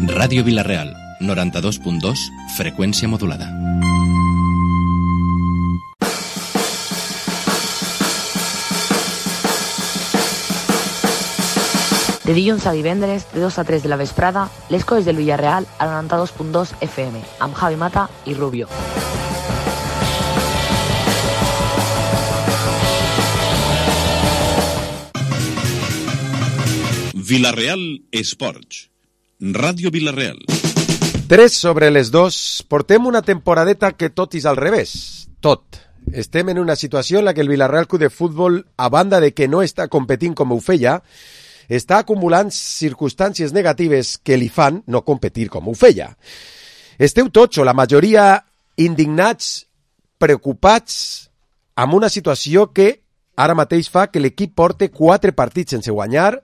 Ràdio Vila-real, 92.2, freqüència modulada. De dilluns a divendres, de 2 a 3 de la vesprada, les coses del Villarreal a 92.2 FM, amb Javi Mata i Rubio. Vila-real Esports. Ràdio Vila-real. 3:02. Portem una temporadeta que tot és al revés. Tot. Estem en una situació en la que el Vila-real Club de Futbol, a banda de que no està competint com ho feia, està acumulant circumstàncies negatives que li fan no competir com ho feia. Esteu tots, o la majoria, indignats, preocupats, amb una situació que ara mateix fa que l'equip porte 4 partits sense guanyar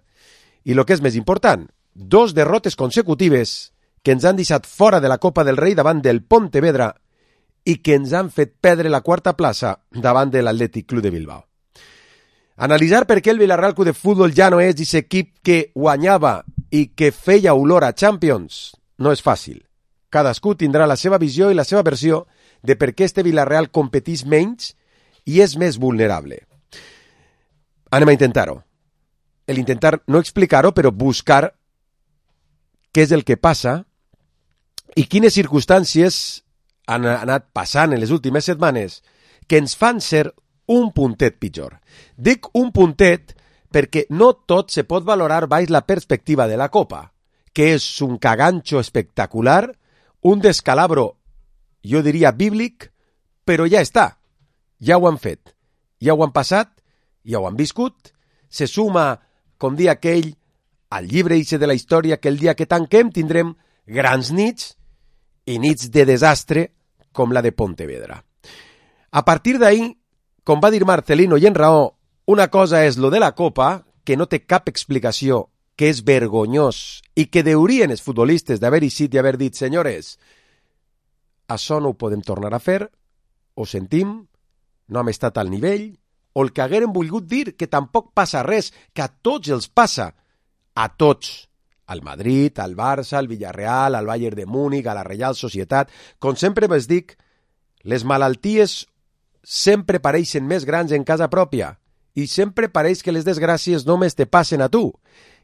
i, el que és més important, 2 derrotes consecutives que ens han deixat fora de la Copa del Rei davant del Pontevedra i que ens han fet perdre la 4ª plaça davant de l'Atlètic Club de Bilbao. Analitzar per què el Villarreal Club de Futbol ja no és aquest equip que guanyava i que feia olor a Champions no és fàcil. Cadascú tindrà la seva visió i la seva versió de per què este Villarreal competís menys i és més vulnerable. Anem a intentar-ho. Intentar no explicar-ho, però buscar què és el que passa i quines circumstàncies han anat passant en les últimes setmanes que ens fan ser un puntet pitjor. Dic un puntet perquè no tot se pot valorar baix la perspectiva de la Copa, que és un caganxo espectacular, un descalabro, jo diria bíblic, però ja està. Ja ho han fet. Ja ho han passat, ja ho han viscut. Se suma, com dia aquell, al llibre ixe de la història que el dia que tanquem tindrem grans nits i nits de desastre com la de Pontevedra. A partir d'ahir, com va dir Marcelino i en raó, una cosa és lo de la Copa, que no té cap explicació, que és vergonyós i que deurien els futbolistes d'haver eixit i haver dit, senyores, això no ho podem tornar a fer, ho sentim, no hem estat al nivell, o el que hagueren volgut dir que tampoc passa res, que a tots els passa, a tots, al Madrid, al Barça, al Villarreal, al Bayern de Múnich, a la Reial Societat. Com sempre vos dic, les malalties sempre pareixen més grans en casa pròpia i sempre pareix que les desgràcies només te passen a tu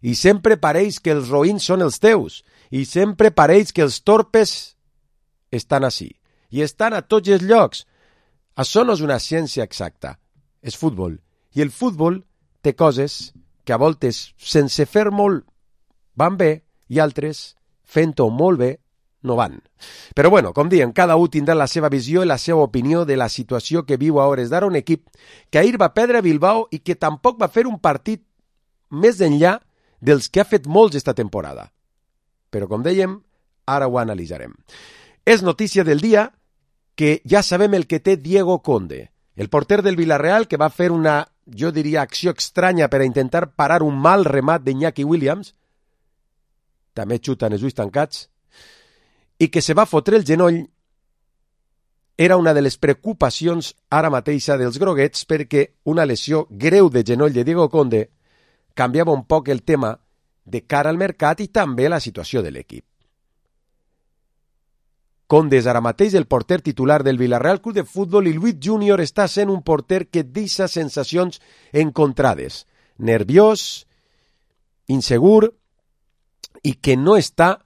i sempre pareix que els roïns són els teus i sempre pareix que els torpes estan ací i estan a tots els llocs. Això no és una ciència exacta, és futbol i el futbol té coses que a voltes sense fer molt van bé i altres fent-ho molt bé no van. Però bueno, com diem, cada un tindrà la seva visió i la seva opinió de la situació que viu a hores d'ara un equip que ahir va perdre a Bilbao i que tampoc va fer un partit més enllà dels que ha fet molts esta temporada. Però com dèiem, ara ho analitzarem. És notícia del dia que ja sabem el que té Diego Conde, el porter del Villarreal que va fer una, jo diria, acció estranya per a intentar parar un mal remat d'Iñaki Williams, també xuta en els ulls tancats, i que se va fotre el genoll, era una de les preocupacions ara mateixa dels groguets perquè una lesió greu de genoll de Diego Conde canviava un poc el tema de cara al mercat i també la situació de l'equip. Conde és ara mateix el porter titular del Villarreal Club de Futbol i Luis Junior està sent un porter que deixa sensacions encontrades, nerviós, insegur i que no està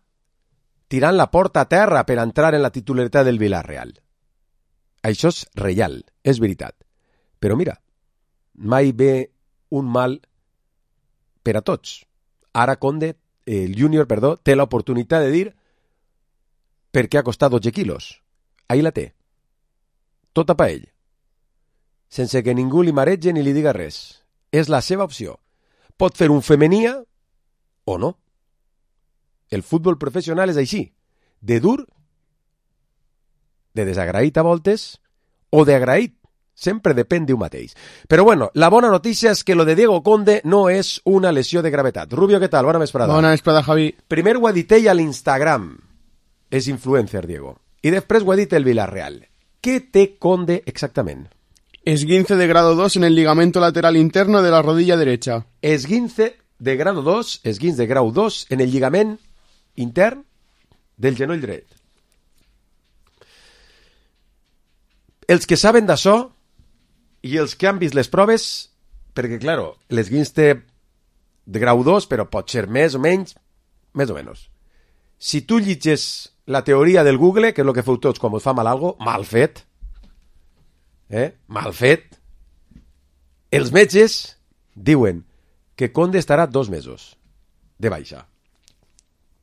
tirant la porta a terra per entrar en la titularitat del Villarreal. Això és real, és veritat. Però mira, mai ve un mal per a tots. Ara Conde, el júnior, té l'oportunitat de dir per què ha costat 12 quilos. Ahí la té. Tota pa ell. Sense que ningú li marege ni li diga res. És la seva opció. Pot fer un femenia o no. El futbol professional és així, de dur, de desagraït a voltes, o d'agraït, sempre depèn d'un mateix. Però bueno, la bona notícia és que lo de Diego Conde no és una lesió de gravetat. Rubio, què tal? Bona vesprada. Bona vesprada, Javi. Primer ho ha dit ell a l'Instagram, és influencer, Diego, i després ho ha dit el Villarreal. Què té Conde exactament? Esguince de grado 2 en el ligamento lateral interno de la rodilla derecha. Esguince de grau 2, esguins de grau 2, en el lligament intern del genoll dret. Els que saben d'això i els que han vist les proves, perquè, claro, l'esguins té de grau 2, però pot ser més o menys, més o menys. Si tu llitges la teoria del Google, que és el que feu tots quan us fa mal algo, mal fet, mal fet, els metges diuen que Conde estarà 2 mesos de baixa.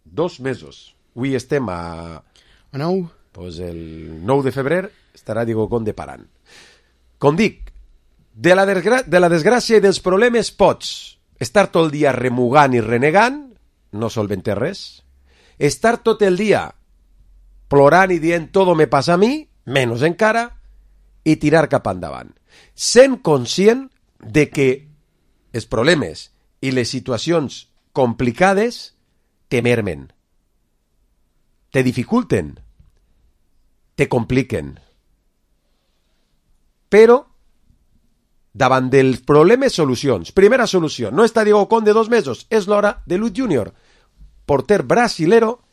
2 mesos. Avui estem a 9. Pues el 9 de febrer estarà Diego Conde parant. Com dic, de la desgràcia i dels problemes pots estar tot el dia remugant i renegant, no solventes res. Estar tot el dia plorant i dient todo me pasa a mi, menys encara, i tirar cap endavant. Sent conscient de que els problemes i les situacions complicades te mermen, te dificulten, te compliquen. Però, davant dels problemes, solucions. Primera solució, no està Diego Conde 2 mesos, és l'hora de Luis Junior, porter brasilero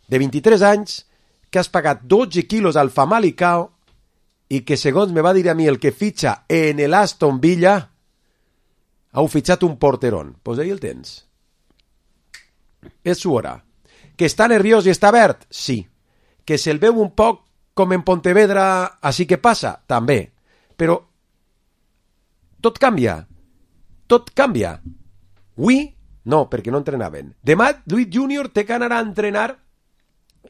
de 23 anys que has pagat 12 quilos al Famalicão i que, segons me va dir a mi el que fitxa en el Aston Villa, heu fitxat un porterón. Pues ahí el tens. És su hora. Que està nerviós i està verd? Sí. Que se'l veu un poc com en Pontevedra, així que passa? També. Però tot canvia. Tot canvia. Avui, no, perquè no entrenaven. Demà, Luis Junior té que anar a entrenar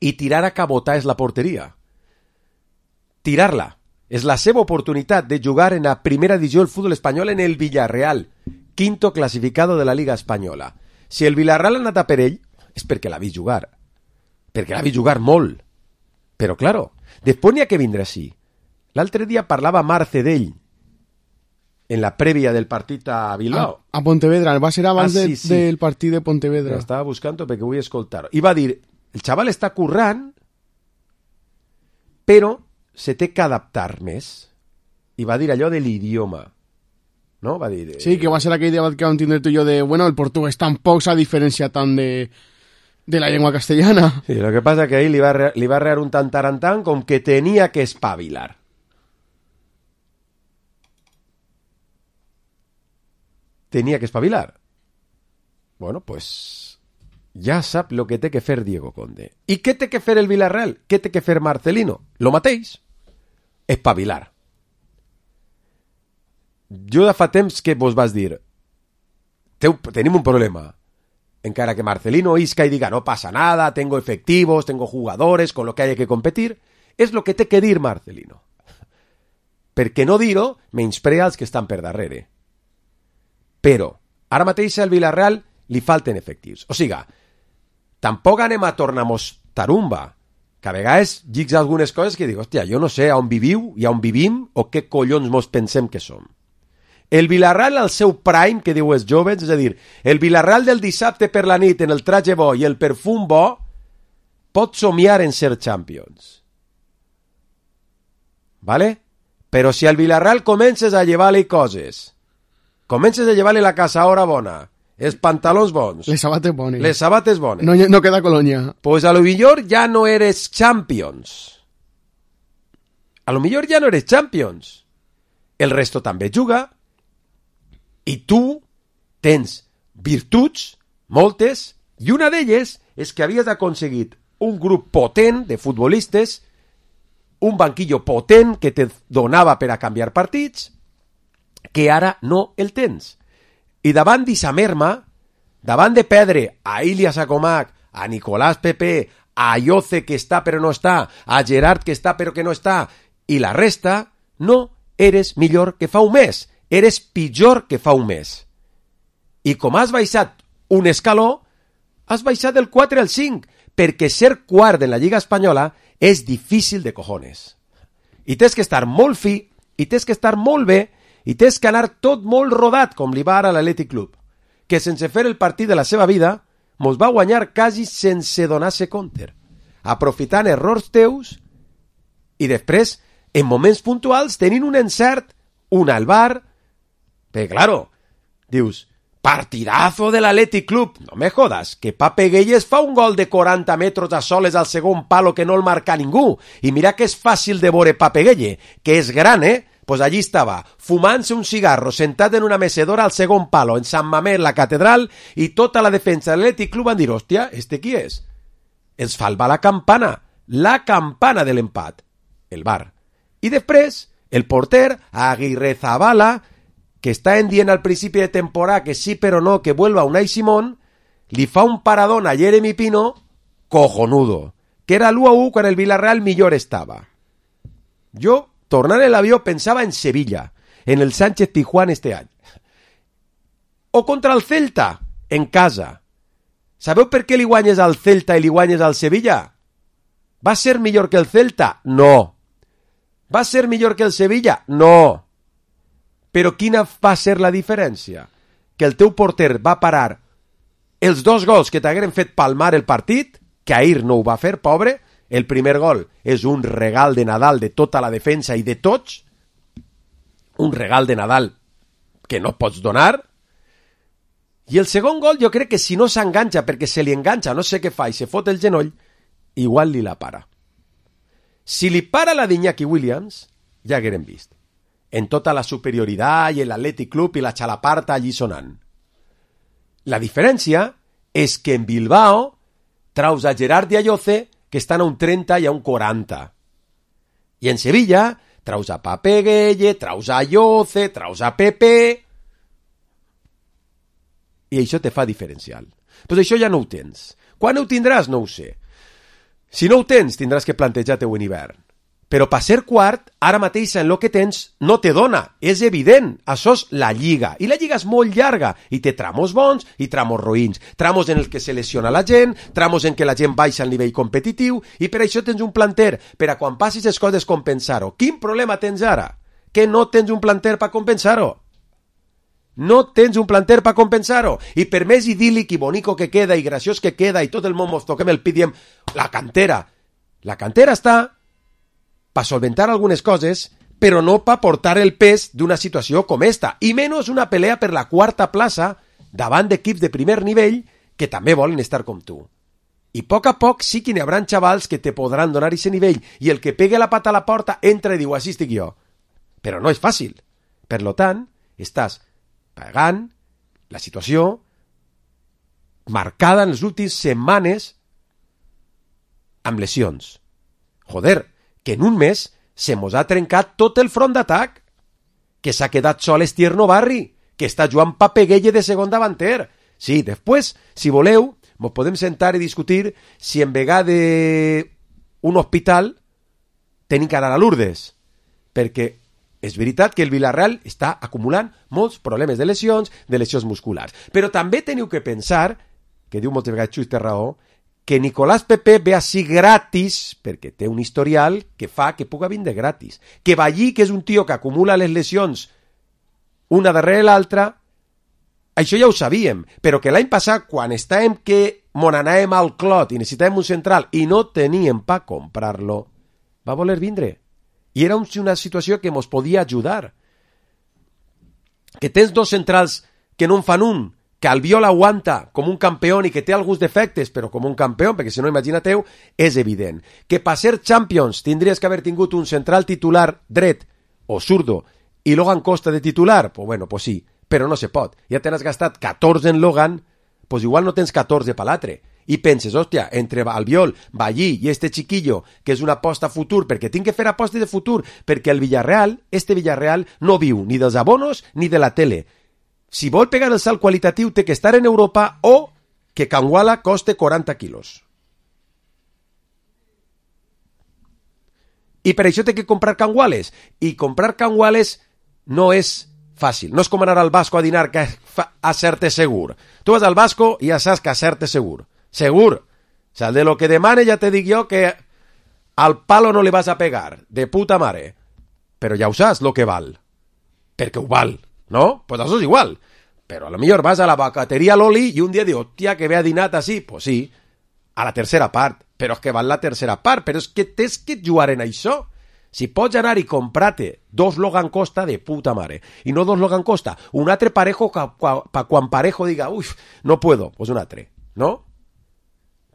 i tirar a cabotar és la porteria. Tirar-la. És la seva oportunitat de jugar en la primera divisió del futbol espanyol en el Villarreal, quinto clasificado de la Liga Espanyola. Si el Villarreal ha anat a per ell, és perquè l'ha vist jugar. Perquè l'ha vist jugar molt. Però, claro, després n'hi ha que vindre així. L'altre dia parlava Marce d'ell en la prèvia del partit a Bilbao. A Pontevedra, va ser abans sí. del partit de Pontevedra. Estava buscant-ho perquè vull escoltar-ho. I va dir, el xaval està currant, però se té que adaptar més. I va dir allò de l'idioma. No? Va dir... Sí, que va ser aquell debat que vam tindre tu i jo de, bueno, el portuguès tampoc s'ha diferenciat tant de la llengua castellana. Sí, lo que pasa que ahí li va rear un tantarantán com que tenia que espavilar. Tenia que espavilar. Bueno, pues ja sap lo que té que fer Diego Conde. I què té que fer el Villarreal? Què té que fer Marcelino? Lo mateix. Espavilar. Jo de fa temps que vos vas dir tenim un problema. Encara que Marcelino isca y diga no pasa nada, tengo efectivos, tengo jugadores con lo que hay que competir, és lo que té que dir Marcelino. Perquè no dir-ho menysprea els que estan per darrere. Però ara mateix al Villarreal li falten efectius. O sigui, tampoc anem a tornar-nos tarumba, que a vegades llics algunes coses que dic, hòstia, jo no sé on viviu i on vivim o què collons mos pensem que som. El Villarreal al seu prime, que diu els joves, és a dir, el Villarreal del dissabte per la nit en el traje bo i el perfum bo, pot somiar en ser Champions. ¿Vale? Però si al Villarreal comences a llevar-li coses, comences a llevar-li la caçadora bona, els pantalons bons, les sabates bones, no queda colonia, pues a lo millor ja no eres Champions. A lo millor ja no eres Champions. El resto també juga, i tu tens virtuts, moltes, i una d'elles és que havies aconseguit un grup potent de futbolistes, un banquillo potent que te donava per a canviar partits, que ara no el tens. I davant d'Issa merma, davant de perdre a Ilias Acomac, a Nicolás Pepe, a Ayoce que està però no està, a Gerard que està però que no està, i la resta, no eres millor que fa un mes. Eres pitjor que fa un mes. I com has baixat un escaló, has baixat del 4 al 5, perquè ser quart en la Lliga Espanyola és difícil de cojones. I tens que estar molt fi, i tens que estar molt bé, i tens que anar tot molt rodat, com li va ara a l'Atlètic Club, que sense fer el partit de la seva vida, mos va guanyar quasi sense donar-se compte, aprofitant errors teus, i després, en moments puntuals, tenint un encert, un al bar. Perquè, claro, dius, Partidazo de l'Athletic Club. No me jodas, que Pape Gueye fa un gol de 40 metres a soles al segon palo que no el marca ningú. I mira que és fàcil de veure Pape Gueye, que és gran, Pues allí estava, fumant-se un cigarro, sentat en una mecedora al segon palo, en Sant Mamés, la catedral, i tota la defensa de l'Athletic Club van dir, hòstia, qui és? Els falva la campana de l'empat, el VAR. I després, el porter, Aguirre Zabala, que està dient al principi de temporada que sí però no, que vuelva Unai Simón, li fa un paradón a Jeremy Pino cojonudo, que era l'1-1 quan el Villarreal millor estava. Jo, tornant en l'avió, pensava en Sevilla, en el Sánchez Pizjuán este any. O contra el Celta, en casa. Sabeu per què li guanyes al Celta i li guanyes al Sevilla? Va ser millor que el Celta? No. Va ser millor que el Sevilla? No. Però quina va ser la diferència? Que el teu porter va parar els 2 gols que t'hagueren fet palmar el partit, que ahir no ho va fer, pobre. El primer gol és un regal de Nadal de tota la defensa i de tots. Un regal de Nadal que no pots donar. I el segon gol jo crec que si no s'enganxa, perquè se li enganxa, no sé què fa, i se fot el genoll, igual li la para. Si li para la d'Iñaki Williams, ja haguérem vist. En tota la superioritat i l'Athletic Club i la xalaparta allí sonant. La diferència és que en Bilbao traus a Gerard i a Lloce, que estan a un 30 i a un 40. I en Sevilla traus a Pape Gueye, traus a Lloce, traus a Pepe. I això te fa diferencial. Però això ja no ho tens. Quan ho tindràs? No ho sé. Si no ho tens, tindràs que plantejar-te-ho en hivern. Però per ser quart, ara mateix en el que tens no te dona. És evident. Això és la Lliga. I la Lliga és molt llarga. I té tramos bons i tramos roïns. Tramos en els que se lesiona la gent, tramos en què la gent baixa al nivell competitiu, i per això tens un planter per a quan passis les coses compensar-ho. Quin problema tens ara? Que no tens un planter per compensar-ho. No tens un planter per compensar-ho. I per més idíl·lic i bonico que queda i graciós que queda i tot el món mos toquem el pit diem la cantera. La cantera està per solventar algunes coses, però no per portar el pes d'una situació com esta, i menys una pelea per la quarta plaça davant d'equips de primer nivell que també volen estar com tu. I a poc sí que n'hi haurà xavals que te podran donar aquest nivell, i el que pegue la pata a la porta entra i diu, així estic jo. Però no és fàcil. Per tant, estàs pagant la situació marcada en les últimes setmanes amb lesions. Joder, que en un mes se mos ha trencat tot el front d'atac, que s'ha quedat sol Estierno Barri, que està Joan Pape Gueye de segon davanter. Sí, després, si voleu, mos podem sentar i discutir si en vegada d'un hospital tenim que anar a Lourdes, perquè és veritat que el Villarreal està acumulant molts problemes de lesions musculars. Però també teniu que pensar, que diu moltes vegades Xus té raó, que Nicolás Pepe ve així gratis, perquè té un historial que fa que puga vindre gratis. Que Ballí, que és un tio que acumula les lesions una darrere l'altra, això ja ho sabíem, però que l'any passat, quan estàvem que mon anàvem al clot i necessitàvem un central i no teníem per comprar-lo, va voler vindre. I era una situació que mos podia ajudar. Que tens 2 centrals que no en fan un, que Albiol aguanta com un campió i que té alguns defectes, però com un campió, perquè si no, imaginateu, és evident. Que per ser Champions tindries que haver tingut un central titular dret o zurdo i Logan Costa de titular? Pues bueno, pues sí, però no se pot. Ja t'has gastat 14 en Logan, pues igual no tens 14 per l'altre. I penses, hòstia, entre Albiol, Ballí i este chiquillo, que és una aposta futur, perquè tinc que fer apostes de futur, perquè el Villarreal, este Villarreal, no viu ni dels abonos ni de la tele. Si vol pegar el salt qualitatiu, té que estar en Europa o que Canguala coste 40 quilos. I per això té que comprar Canguales. I comprar Canguales no és fàcil. No és com anar al Vasco a dinar que a ser-te segur. Tu vas al Vasco i ja saps que a ser-te segur. Segur. O sea, de lo que demane ja te dic jo que al palo no le vas a pegar. De puta mare. Però ja ho saps lo que val. Perquè ho val. ¿No? Pues això és igual. Però a lo millor vas a la vacateria Loli i un dia dius, hòstia, que ve a dinat així. Pues sí, a la tercera part. Però és que val la tercera part. Però és que tens que jugar en això. Si pots anar i comprar-te 2 Logan Costa, de puta mare, i no 2 Logan Costa, un altre parejo pa quan parejo diga, uf, no puedo, pues un altre, no?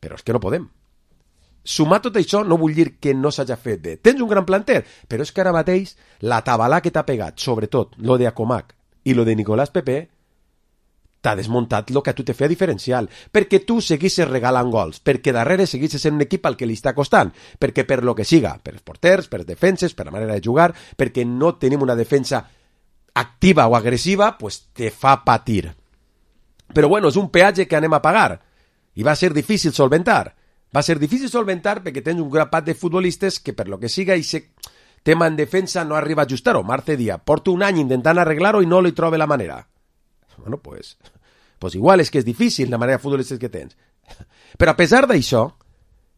Però és que no podem. Sumar tot això no vull dir que no s'hagi fet bé. Tens un gran planter, però és que ara mateix la tabalà que t'ha pegat, sobretot lo de Acomac i lo de Nicolás Pepe, t'ha desmuntat el que a tu te feia diferencial, perquè tu seguissis regalant gols, perquè darrere seguissis sent un equip al que li està costant, perquè per lo que siga, per els porters, per les defenses, per la manera de jugar, perquè no tenim una defensa activa o agressiva, pues te fa patir. Però bueno, és un peatge que anem a pagar, i va ser difícil solventar. Va ser difícil solventar perquè tens un grapat de futbolistes que per lo que siga i se tema en defensa no arriba a ajustar-ho. Marce Díaz porta un any intentant arreglar-ho i no li troba la manera. Bueno, pues igual és que és difícil la manera de futbolistes que tens. Però a pesar d'això,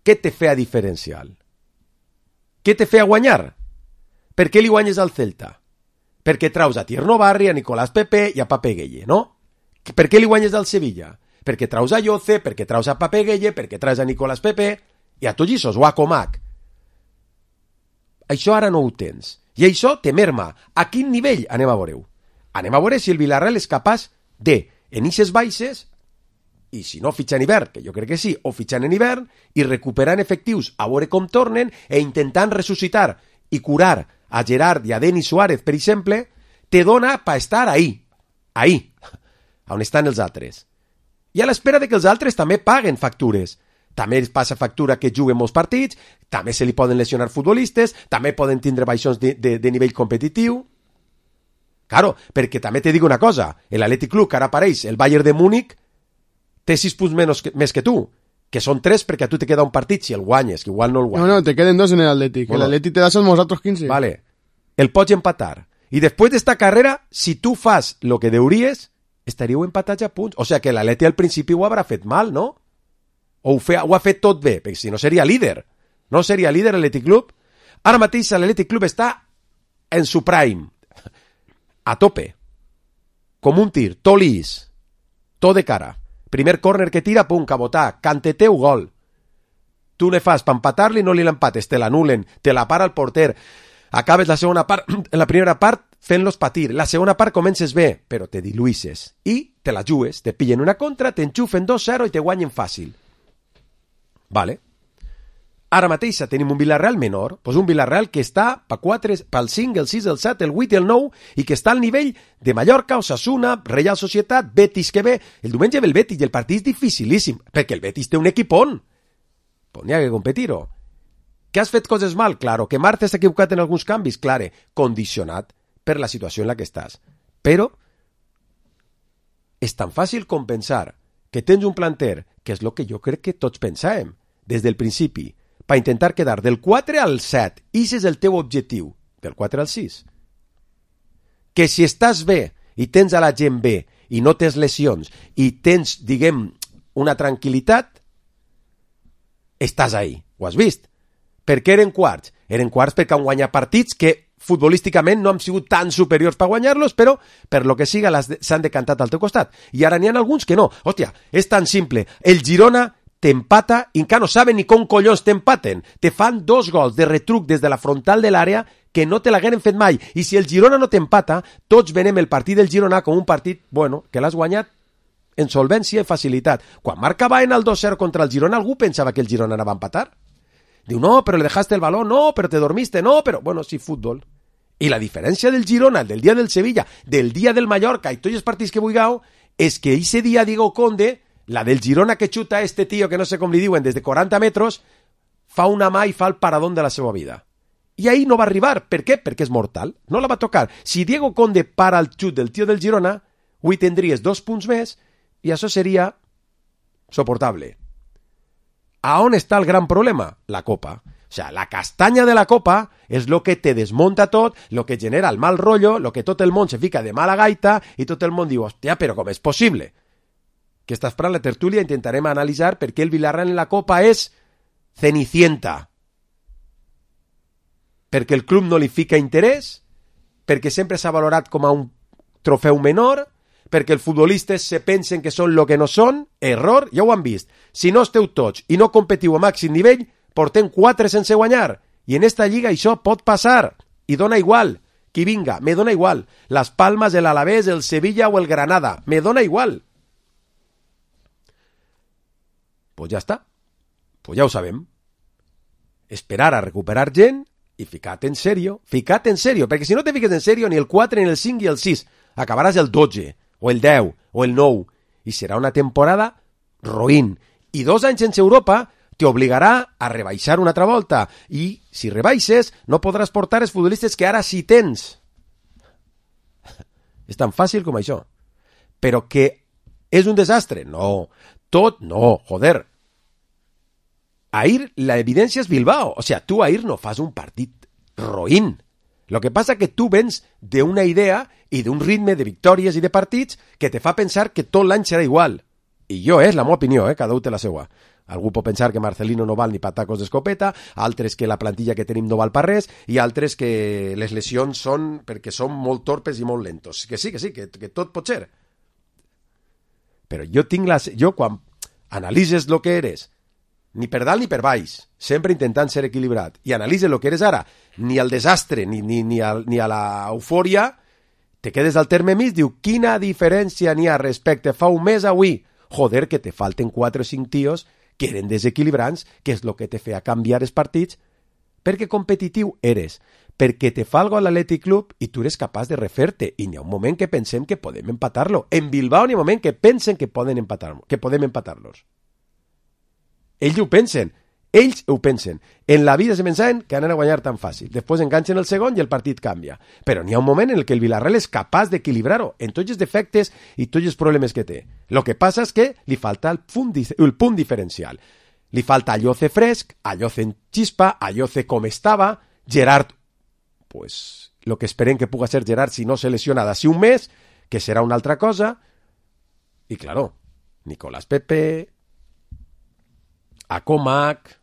què te feia diferencial? Què te feia guanyar? Per què li guanyes al Celta? Perquè traus a Tierno Barri, a Nicolás Pepe i a Pape Gueye, no? Per què li guanyes al Sevilla? Perquè traus a Yoce, perquè traus a Pape Gueye, perquè traus a Nicolás Pepe i a tots o a Comac. Això ara no ho tens. I això te merma. A quin nivell anem a veure-ho? Anem a veure si el Villarreal és capaç de, en ixes baixes, i si no fitxant hivern, que jo crec que sí, o fitxant en hivern, i recuperant efectius a veure com tornen, e intentant ressuscitar i curar a Gerard i a Denis Suárez, per exemple, te dona per estar ahí, on estan els altres. I a l'espera de que els altres també paguen factures. També passa factura que juguen molts partits, també se li poden lesionar futbolistes, també poden tindre baixons de nivell competitiu. Claro, perquè també te dic una cosa, l'Atlètic Club, que ara apareix, el Bayern de Múnich, té 6 punts més que tu, que són 3 perquè a tu te queda un partit si el guanyes, que igual no el guanyes. No, te queden 2 en l'Atlètic. Bueno, l'Atlètic te das els altres 15. Vale, el pots empatar. I després d'esta carrera, si tu fas el que deuries, estaríeu empatats a punts. O sigui que l'Atlètic al principi ho haurà fet mal, no? O ho ha fet tot bé, perquè si no seria líder. No seria líder l'Atlètic Club. Ara mateix l'Atlètic Club està en su prime, a tope, com un tir, tot lis, tot de cara. Primer córner que tira, pum, cabotà, canteteu, gol. Tu ne fas per empatar-li, no li l'empates, te l'anulen, te la para el porter. Acabes la segona part, en la primera part fent-los patir, la segona part comences bé, però te diluïsses i te la jugues, te pillen una contra, t'enxufen 2-0 i te guanyen fàcil. Vale. Ara mateix tenim un Villarreal menor, doncs un Villarreal que està pel 5, el 6, el 7, el 8 i el 9 i que està al nivell de Mallorca, Osasuna, Real Societat, Betis que ve. El diumenge ve el Betis i el partit és dificilíssim, perquè el Betis té un equipón. Pues n'hi ha que competir-ho. Que has fet coses mal? Claro. Que Marta s'ha equivocat en alguns canvis? Claro. Condicionat per la situació en la que estàs. Però és tan fàcil com pensar que tens un planter, que és el que jo crec que tots pensàvem des del principi, per intentar quedar del 4 al 7, i ese és el teu objectiu, del 4 al 6. Que si estàs bé i tens a la gent bé i no tens lesions i tens, diguem, una tranquil·litat, estàs ahí. Ho has vist? Per què eren quarts? Eren quarts perquè han guanyat partits que futbolísticament no han sigut tan superiors per guanyar-los, però per lo que siga s'han decantat al teu costat. I ara n'hi ha alguns que no. Hòstia, és tan simple. El Girona t'empata i encara no saben ni com collons t'empaten. Te fan 2 gols de retruc des de la frontal de l'àrea que no te l'hagueren fet mai. I si el Girona no t'empata, tots venem el partit del Girona com un partit, bueno, que l'has guanyat en solvència i facilitat. Quan marcava en el 2-0 contra el Girona, algú pensava que el Girona anava a empatar? Diu, no, però le dejaste el balón, no, però te dormiste, no, però... Bueno, sí, fútbol. I la diferència del Girona, del dia del Sevilla, del dia del Mallorca i tots els partits que vulgueu, és que ese dia Diego Conde, la del Girona que xuta este tío que no sé com li diuen des de 40 metres, fa una mà i fa el paradón de la seva vida. I ahí no va arribar. Per què? Perquè és mortal. No la va tocar. Si Diego Conde para el xut del tio del Girona, avui tindries 2 punts més i això seria soportable. A on està el gran problema? La Copa. O sea, la castanya de la Copa és lo que te desmonta tot, lo que genera el mal rotllo, lo que tot el món se fica de mala gaita i tot el món diu, hòstia, però com és possible? Que està esperant la tertúlia, intentarem analitzar per què el Villarreal en la Copa és cenicienta. Perquè el club no li fica interès, perquè sempre s'ha valorat com a un trofeu menor, perquè els futbolistes se pensen que són lo que no són, error, ja ho han vist. Si no esteu tots i no competiu a màxim nivell, portem 4 sense guanyar, I en esta lliga això pot passar, i dona igual qui vinga, me dona igual. Las Palmas, el Alavés, el Sevilla o el Granada, me dona igual. Pues ja està, pues ja ho sabem. Esperar a recuperar gent i fica't en sèrio, perquè si no te fiques en sèrio ni el 4, ni el 5 i el 6, acabaràs el 12, o el 10, o el 9, i serà una temporada roïn. I 2 anys sense Europa t'obligarà a rebaixar una altra volta, i si rebaixes no podràs portar els futbolistes que ara sí tens. És tan fàcil com això. Però que és un desastre? No. Tot no, joder. Ahir la evidència és Bilbao. O sea, tu ahir no fas un partit roïn. Lo que passa que tu vens d'una idea i d'un ritme de victòries i de partits que te fa pensar que tot l'any serà igual. I jo, és la meva opinió, cada un té la seva. Algú pot pensar que Marcelino no val ni patacos d'escopeta, altres que la plantilla que tenim no val per res, i altres que les lesions són perquè són molt torpes i molt lentos. Que sí, que tot pot ser. Però jo quan analitzes el que eres, ni per dalt ni per baix, sempre intentant ser equilibrat, i analitzes el que eres ara, ni al desastre ni a l'eufòria, te quedes al terme mig, diu, quina diferència n'hi ha respecte fa un mes avui? Joder, que te falten 4 o 5 tios que eren desequilibrants, que és el que te feia canviar els partits, perquè competitiu eres, perquè te fa algo a l'Atlètic Club i tu eres capaç de refer-te, i n'hi ha un moment que pensem que podem empatar-lo. En Bilbao n'hi ha un moment que pensen que podem empatar-los. Ells ho pensen. En la vida se pensaven que anen a guanyar tan fàcil. Després enganxen el segon i el partit canvia. Però n'hi ha un moment en el que el Villarreal és capaç d'equilibrar-ho en tots els defectes i tots els problemes que té. Lo que passa és que li falta el punt diferencial. Li falta Alloce fresc, Alloce en xispa, Alloce com estava, Gerard, pues, lo que esperem que puga ser Gerard si no se lesiona d'ací un mes, que serà una altra cosa. I, claro, Nicolás Pepe, Acomac...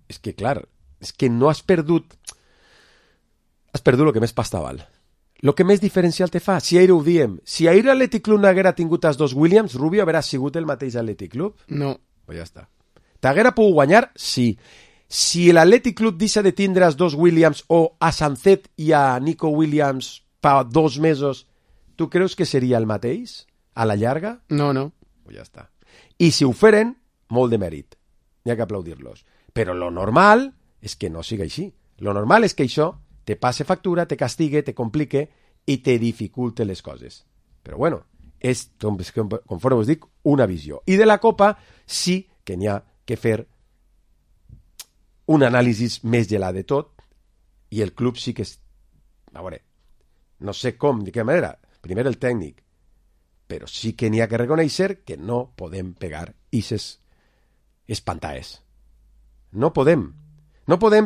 És que, clar, és que no has perdut... Has perdut el que més pasta val. El que més diferencial te fa. Si ahir ho diem, si ahir l'Atlètic Club no haguera tingut els 2 Williams, Rubio haurà sigut el mateix Atlètic Club? No. Pues ja està. T'haguera pogut guanyar? Sí. Si l'Atlètic Club deixa de tindre els 2 Williams o a Sancet i a Nico Williams fa 2 mesos, tu creus que seria el mateix? A la llarga? No. Pues ja està. I si ho feren, molt de mèrit. N'hi ha que aplaudir-los. Però lo normal és que no sigui així. Lo normal és que això te passe factura, te castigue, te complique i te dificulte les coses. Però bueno, és, conforme us dic, una visió. I de la Copa sí que n'hi ha que fer un anàlisi més gelat de tot i el club sí que és... A veure, no sé com, de què manera, primer el tècnic, però sí que n'hi ha que reconèixer que no podem pegar ixes espantaes. No podem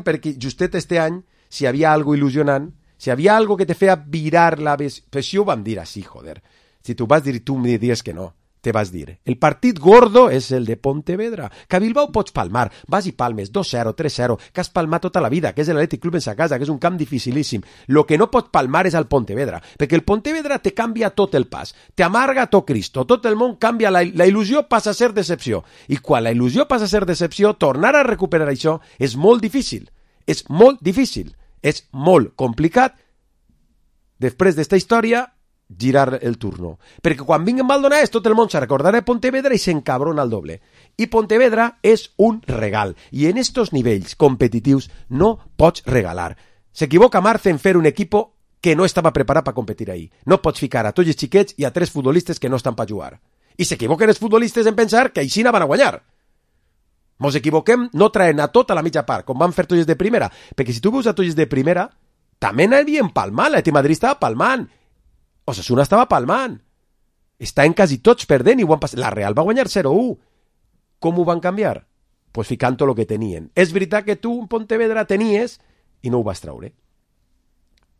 perquè justet este any, si hi havia algo il·lusionant, si hi havia algo que te feia virar la... Pues si ho vam dir així, joder. Si tu vas dir i tu em dius que no, te vas dir. El partit gordo és el de Pontevedra. Que a Bilbao pots palmar, vas i palmes, 2-0, 3-0, que has palmat tota la vida, que és l'Atlètic Club en sa casa, que és un camp dificilíssim. Lo que no pots palmar és al Pontevedra, perquè el Pontevedra te canvia tot el pas, te amarga tot Cristo, tot el món canvia, la il·lusió passa a ser decepció. I quan la il·lusió passa a ser decepció, tornar a recuperar això és molt difícil. És molt difícil. És molt complicat. Després d'esta història, girar el turno. Perquè quan vinguen Maldonades tot el món se recordarà de Pontevedra i s'encabrona al doble. I Pontevedra és un regal. I en estos nivells competitius no pots regalar. S'equivoca Marce en fer un equipo que no estava preparat per competir ahir. No pots ficar a tots els xiquets i a 3 futbolistes que no estan per jugar. I s'equivoquen els futbolistes en pensar que així van a guanyar. Mos equivoquem no traient a tot a la mitja part, com van fer tots els de primera. Perquè si tu veus a tots els de primera, també n'havien palmant. L'Atlètic Madrid estava palmant. Osasuna estava palmant. Estaven quasi tots perdent i ho han passat. La Real va guanyar 0-1. Com ho van canviar? Pues ficant tot el que tenien. És veritat que tu en Pontevedra tenies i no ho vas traure.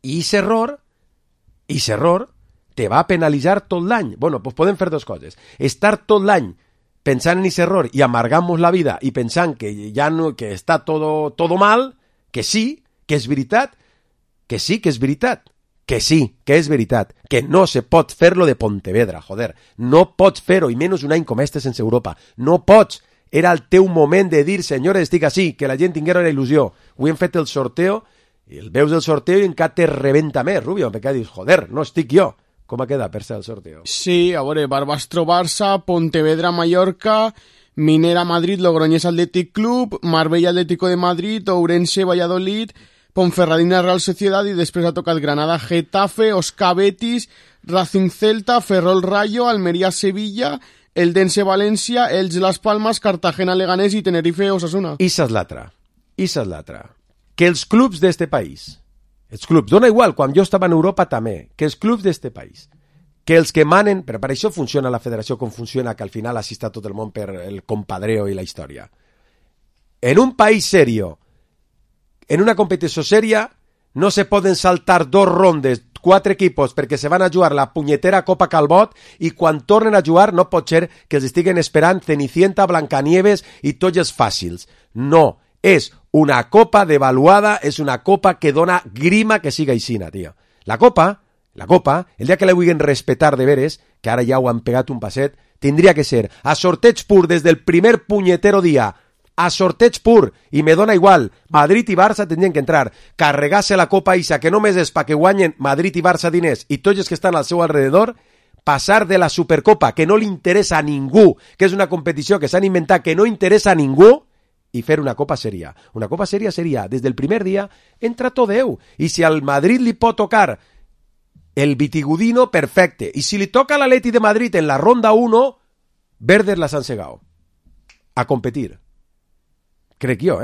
I aquest error te va penalitzar tot l'any. Bueno, pues podem fer 2 coses. Estar tot l'any pensant en aquest error i amargant-nos la vida i pensant que ja no, que està todo mal, que sí, que és veritat, que sí, que és veritat. Que sí, que és veritat, que no se pot fer-lo de Pontevedra, joder. No pots fer-ho, i menys un any com este sense Europa. No pots. Era el teu moment de dir, senyores, estic així, que la gent tinguera una il·lusió. Avui hem fet el sorteo, i el veus el sorteo i encara te rebenta més, Rubio, perquè dius, joder, no estic jo. Com ha quedat per ser el sorteo? Sí, a veure, Barbastro-Barça, Pontevedra-Mallorca, Minera-Madrid, Logroñés Athletic Club, Marbella-Atlético de Madrid, Ourense-Valladolid, Ponferradina-Real Sociedad i després ha tocat Granada-Getafe, Osca-Betis, Racing-Celta, Ferrol-Rayo, Almería-Sevilla, Eldense-València, Elx-Las Palmas, Cartagena-Leganés i Tenerife-Osasuna. Issa és l'altra. Que els clubs d'este país, els clubs, dona igual, quan jo estava en Europa també, que els clubs d'este país, que els que manen, però per això funciona la federació com funciona, que al final assista tot el món per el compadreo i la història. En un país serio, en una competició seria, no se poden saltar 2 rondes, 4 equipos, perquè se van a jugar la punyetera Copa Calbot i quan tornen a jugar no pot ser que els estiguen esperant Cenicienta, Blancanieves i tots els fàcils. No, és una copa devaluada, és una copa que dona grima que siga aixina, tio. La copa, el dia que la vulguin respetar de veres, que ara ja ho han pegat un passet, tindria que ser a sorteig pur des del primer punyetero dia, a sorteig pur, i me dona igual, Madrid i Barça tindrien que entrar, carregar-se la copa Isa, que només és perquè guanyen Madrid i Barça diners i tots els que estan al seu alrededor, passar de la Supercopa, que no li interessa a ningú, que és una competició que s'han inventat que no interessa a ningú, i fer una copa seria. Una copa seria seria, des del primer dia, entra tot Déu. I si al Madrid li pot tocar el Vitigudino, perfecte. I si li toca a l'Atleti de Madrid en la ronda 1, verdes las han segado. A competir. Crec jo,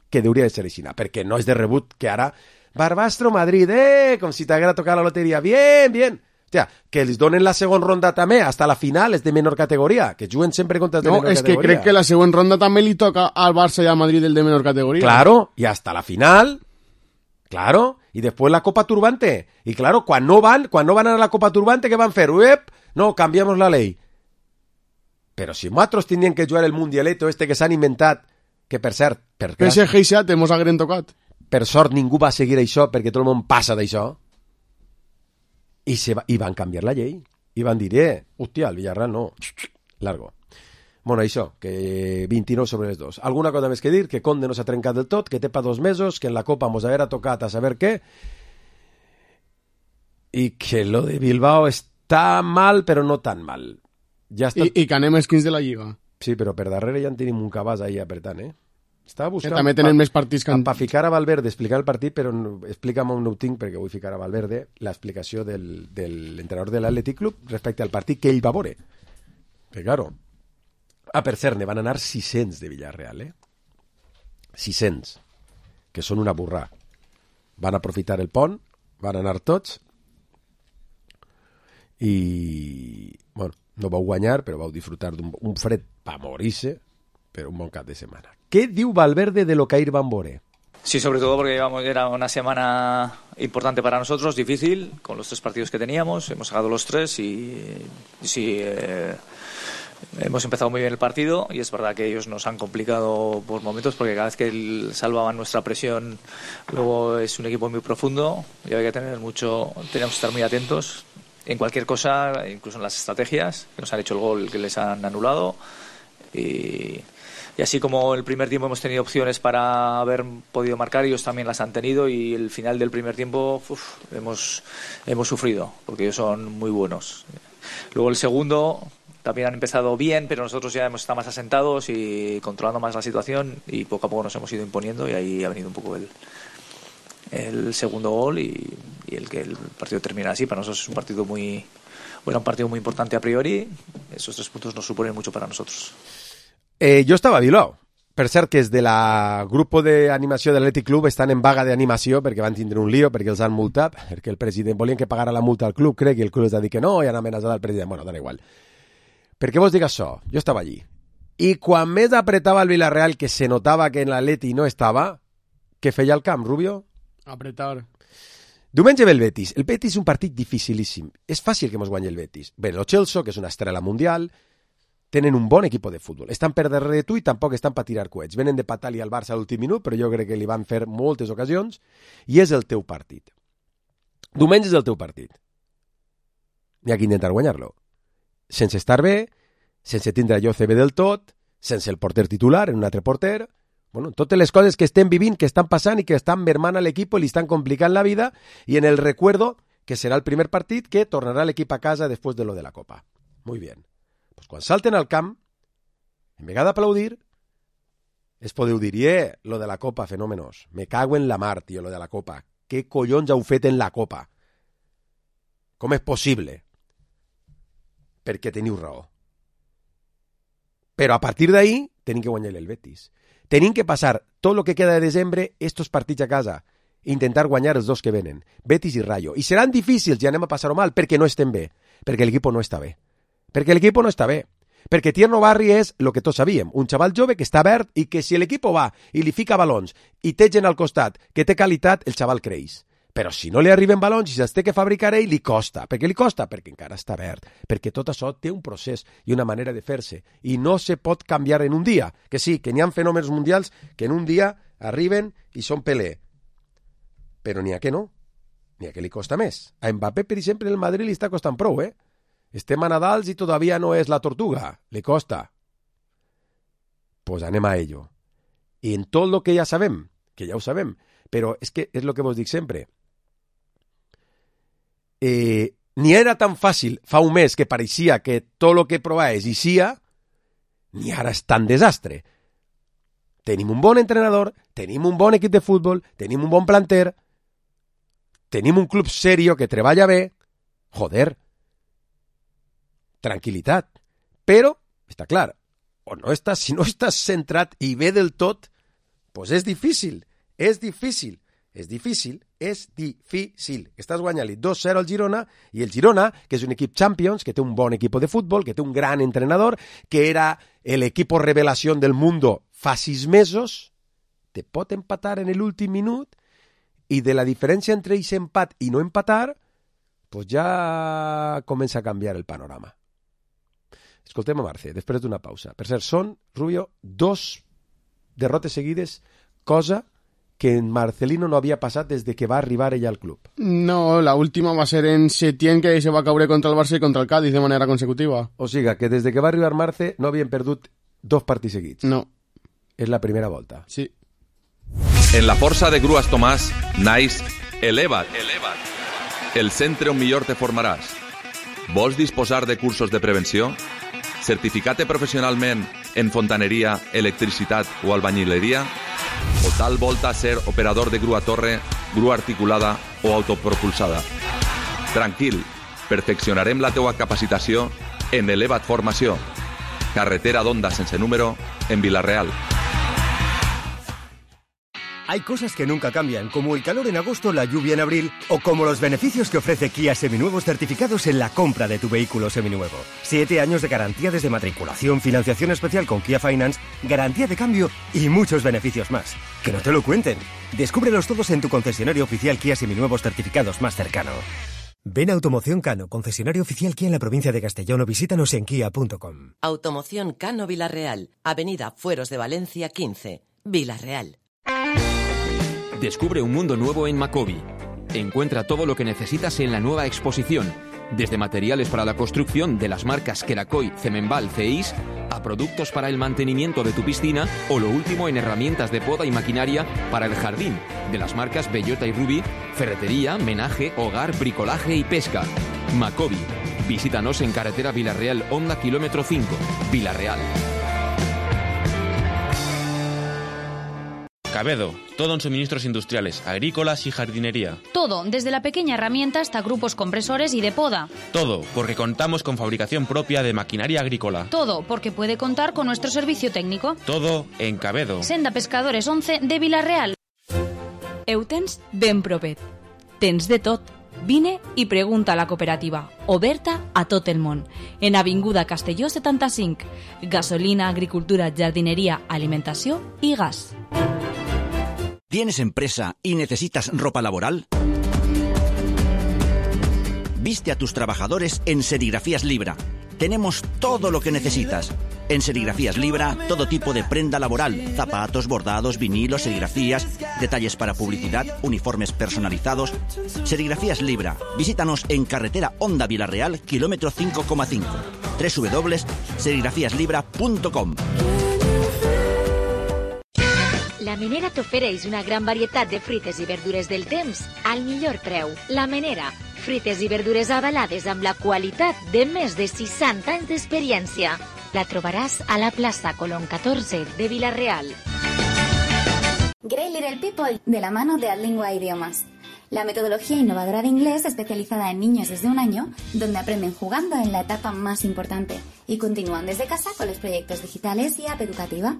que hauria de ser així, perquè no és de rebut que ara Barbastro Madrid, com si t'haguera tocat la loteria, bien. Hòstia, que els donen la segona ronda també, hasta la final, és de menor categoria, que juguen sempre contra els de menor categoria. No, és que crec que la segona ronda també li toca al Barça i al Madrid el de menor categoria. Claro, y hasta la final, claro, y después la Copa Turbante. Y claro, cuando no van a la Copa Turbante, ¿qué van a hacer? No, cambiamos la ley. Però si nosaltres tindrien que jugar el mundialeto este que s'han inventat, que per cert, PSG i Seat mos hagueren tocat. Per sort ningú va seguir això, perquè tot el món passa d'això. I van canviar la llei. I van dir, hòstia, el Villarreal no. Largo. Bueno, això, que 29 sobre les 2. Alguna cosa més que dir? Que Conde no s'ha trencat del tot, que té pa 2 mesos, que en la Copa mos haguera tocat a saber què, i que lo de Bilbao està mal, però no tan mal. Ja està... I que anem esquins de la Lliga. Sí, però per darrere ja en tenim un cabàs ahí apretant, Estava buscant... Que també tenen més partits que... Per ficar a Valverde, explicar el partit, però explica'm on no ho tinc, perquè vull ficar a Valverde l'explicació de l'entrenador de l'Athletic Club respecte al partit que ell va veure. Que, claro... per cert, ne van anar 600 de Villarreal, 600, que són una burrà. Van aprofitar el pont, van anar tots, i... Bueno, no vau guanyar, però vau disfrutar d'un fred pa morir-se, pero un bon cap de semana. ¿Qué diu Valverde de lo que ahir van veure? Sí, sobre todo porque era una semana importante para nosotros, difícil, con los 3 partidos que teníamos. Hemos sacado los 3 y sí, hemos empezado muy bien el partido y es verdad que ellos nos han complicado por momentos porque cada vez que salvaban nuestra presión, luego es un equipo muy profundo y hay que tenemos que estar muy atentos en cualquier cosa, incluso en las estrategias, que nos han hecho el gol que les han anulado. Y así como el primer tiempo hemos tenido opciones para haber podido marcar, ellos también las han tenido y el final del primer tiempo hemos sufrido, porque ellos son muy buenos. Luego el segundo también han empezado bien, pero nosotros ya hemos estado más asentados y controlando más la situación y poco a poco nos hemos ido imponiendo y ahí ha venido un poco el segundo gol y el que el partido termina así. Para nosotros es un partido muy importante a priori. Esos 3 puntos nos suponen mucho para nosotros. Jo estava a Bilbao. Per cert que és de la grup d'animació de l'Athletic Club estan en vaga d'animació perquè van tindre un lío, perquè els han multat, perquè el president volien que pagara la multa al club, crec, i el club els ha dit que no, i han amenaçat al president. Bueno, dona igual. Per què vos dic això? Jo estava allí. I quan més apretava el Villarreal, que se notava que en l'Atleti no estava, què feia al camp, Rubio? Apretar. Diumenge ve el Betis. El Betis és un partit dificilíssim. És fàcil que mos guanyi el Betis. Ve el Chelsea, que és una estrella mundial, tenen un bon equip de futbol. Estan per darrere de tu i tampoc estan per tirar coets. Venen de patar-li al Barça a l'últim minut, però jo crec que li van fer moltes ocasions, i és el teu partit. Diumenge és el teu partit. N'hi ha que intentar guanyar-lo. Sense estar bé, sense tindre allò CB del tot, sense el porter titular, en un altre porter. Bueno, totes les coses que estem vivint, que estan passant i que estan mermant a l'equip i li estan complicant la vida, i en el recuerdo que serà el primer partit que tornarà l'equip a casa després de lo de la Copa. Muy bien. Pues quan salten al camp, en vegada d'aplaudir, es podeu dir, lo de la Copa, fenòmenos. Me cago en la mar, tio, lo de la Copa. Què collons heu fet en la Copa? Com és possible? Perquè teniu raó. Però a partir d'ahí tenim que guanyar el Betis. Tenim que passar tot el que queda de desembre estos partits a casa, intentar guanyar els dos que venen, Betis i Rayo. I seran difícils i anem a passar-ho mal perquè no estem bé, perquè l'equip no està bé. Perquè l'equip no està bé. Perquè Tierno Barri és el que tots sabíem, un xaval jove que està verd i que si l'equip va i li fica balons i té gent al costat que té qualitat, el xaval creix. Però si no li arriben balons i se'ls té que fabricar ell, li costa. Per què li costa? Perquè encara està verd. Perquè tot això té un procés i una manera de fer-se. I no se pot canviar en un dia. Que sí, que n'hi ha fenòmens mundials que en un dia arriben i són Pelé. Però n'hi ha que no. N'hi ha que li costa més. A Mbappé, per exemple, el Madrid li està costant prou, Estem a Nadals i todavía no és la tortuga. Le costa. Pues anem a ello. I en tot el que ja sabem, que ja ho sabem, però és que és el que vos dic sempre. Ni era tan fàcil fa un mes que pareixia que tot el que provaves hi sia, ni ara és tan desastre. Tenim un bon entrenador, tenim un bon equip de futbol, tenim un bon planter, tenim un club serio que treballa bé, joder, tranquil·litat. Però, està clar, o no estàs, si no estàs centrat i bé del tot, pues és difícil. Estàs guanyant-li 2-0 al Girona, i el Girona, que és un equip Champions, que té un bon equip de futbol, que té un gran entrenador, que era el equipo revelación del mundo fa 6 mesos, te pot empatar en l'últim minut, i de la diferència entre ese empat i no empatar, pues ja comença a canviar el panorama. Escoltem a Marce, després d'una pausa. Per cert, són, Rubio, 2 derrotes seguides, cosa que en Marcelino no havia passat des de que va arribar ella al club. No, la última va ser en Setién, que se va caure contra el Barça i contra el Cádiz de manera consecutiva. O sigui, que des de que va arribar Marce no havien perdut 2 partits seguits. No. És la primera volta. Sí. En la força de Grues Tomàs, naix Eleva't. El centre on millor te formaràs. Vols disposar de cursos de prevenció? Certificat-te professionalment en fontaneria, electricitat o albañileria? O tal volta ser operador de grua torre, grua articulada o autopropulsada? Tranquil, perfeccionarem la teua capacitació en Eleva't Formació. Carretera d'Onda sense número, en Vila-real. Hay cosas que nunca cambian, como el calor en agosto, la lluvia en abril, o como los beneficios que ofrece Kia Seminuevos certificados en la compra de tu vehículo seminuevo. 7 años de garantía desde matriculación, financiación especial con Kia Finance, garantía de cambio y muchos beneficios más. Que no te lo cuenten. Descúbrelos todos en tu concesionario oficial Kia Seminuevos certificados más cercano. Ven a Automoción Cano, concesionario oficial Kia en la provincia de Castellón, o visítanos en kia.com. Automoción Cano Vila-real, Avenida Fueros de Valencia 15, Vila-real. Descubre un mundo nuevo en Macobi. Encuentra todo lo que necesitas en la nueva exposición, desde materiales para la construcción de las marcas Kerakoy, Cemenbal, CEIS, a productos para el mantenimiento de tu piscina o lo último en herramientas de poda y maquinaria para el jardín, de las marcas Bellota y Ruby, ferretería, menaje, hogar, bricolaje y pesca. Macobi. Visítanos en carretera Vila-real, Honda kilómetro 5, Vila-real. Cabedo, todo en suministros industriales, agrícolas y jardinería. Todo, desde la pequeña herramienta hasta grupos compresores y de poda. Todo, porque contamos con fabricación propia de maquinaria agrícola. Todo, porque puede contar con nuestro servicio técnico. Todo en Cabedo. Senda Pescadores 11 de Vila-real. Ho tens ben propet. Tens de tot. Vine i pregunta a la cooperativa, oberta a tot el món. En Avinguda Castelló 75. Gasolina, agricultura, jardinería, alimentació i gas. ¿Tienes empresa y necesitas ropa laboral? Viste a tus trabajadores en Serigrafías Libra. Tenemos todo lo que necesitas. En Serigrafías Libra, todo tipo de prenda laboral, zapatos, bordados, vinilos, serigrafías, detalles para publicidad, uniformes personalizados. Serigrafías Libra. Visítanos en carretera Honda Vila-real, kilómetro 5,5. www.serigrafíaslibra.com. La Menera t'ofereix una gran varietat de fruites i verdures del temps al millor preu. La Menera, fruites i verdures avalades amb la qualitat de més de 60 anys d'experiència. La trobaràs a la plaça Colón 14 de Vila-real. Great Little People, de la mano de Adlingua Idiomas. La metodología innovadora de inglés especializada en niños desde 1 año, donde aprenden jugando en la etapa más importante y continúan desde casa con los proyectos digitales y app educativa.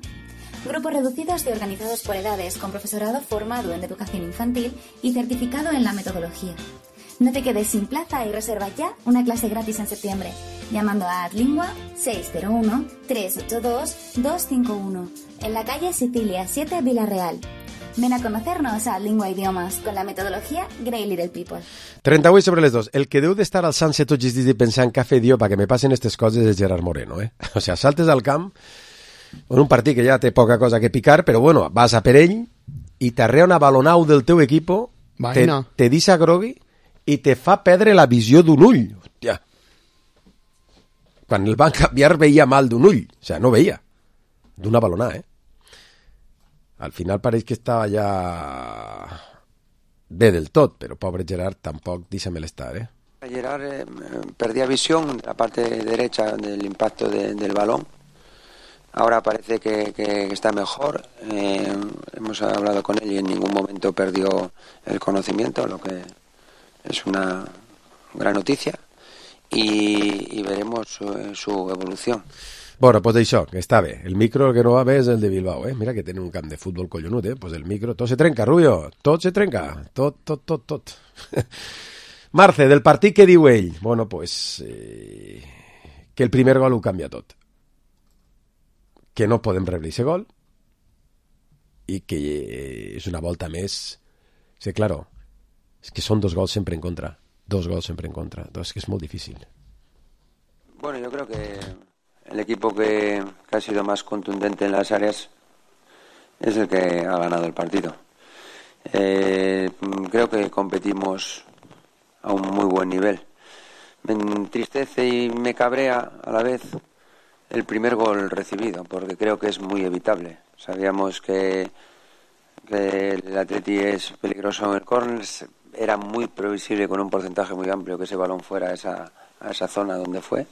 Grupos reducidos y organizados por edades, con profesorado formado en educación infantil y certificado en la metodología. No te quedes sin plaza y reserva ya una clase gratis en septiembre, llamando a Adlingua 601-382-251, en la calle Sicilia 7, Vila-real. Ven a conocernos a Adlingua Idiomas con la metodología Great Little People. 38 sobre les 2. El que deu d'estar al Sunset tots els dies i pensar en què fer Dio perquè me passen aquestes coses és Gerard Moreno, eh? O sea, saltes al camp en un partit que ja té poca cosa que picar, però bueno, vas a per ell i t'arrea una balonau del teu equipo, te deixa grogui i te fa perdre la visió d'un ull. Hòstia. Quan el van canviar veia mal d'un ull. O sea, no veia. D'una balonà, eh? Al final pareix que estava ja bé del tot, però pobre Gerard tampoc dísame l'estar, eh? Gerard perdía visión la parte derecha del impacto del balón. Ahora parece que está mejor. Hemos hablado con él y en ningún momento perdió el conocimiento, lo que es una gran noticia. Y veremos su evolución. Bueno, pues això, que està bé. El micro que no va bé és el de Bilbao, eh? Mira que tenen un camp de futbol collonut, eh? Pues el micro, tot se trenca, Rubio, tot se trenca, tot. Marce, del partit que diu ell? Bueno, pues que el primer gol ho canvia tot. Que no podem rebre aquest gol i que és una volta més. Sí, claro, és que són 2 gols sempre en contra. 2 gols sempre en contra. Entonces, que es muy difícil. Bueno, yo creo que el equipo que ha sido más contundente en las áreas es el que ha ganado el partido. Creo que competimos a un muy buen nivel. Me entristece y me cabrea a la vez el primer gol recibido, porque creo que es muy evitable. Sabíamos que el Atleti es peligroso en el córner. Era muy previsible con un porcentaje muy amplio que ese balón fuera a esa zona donde fue.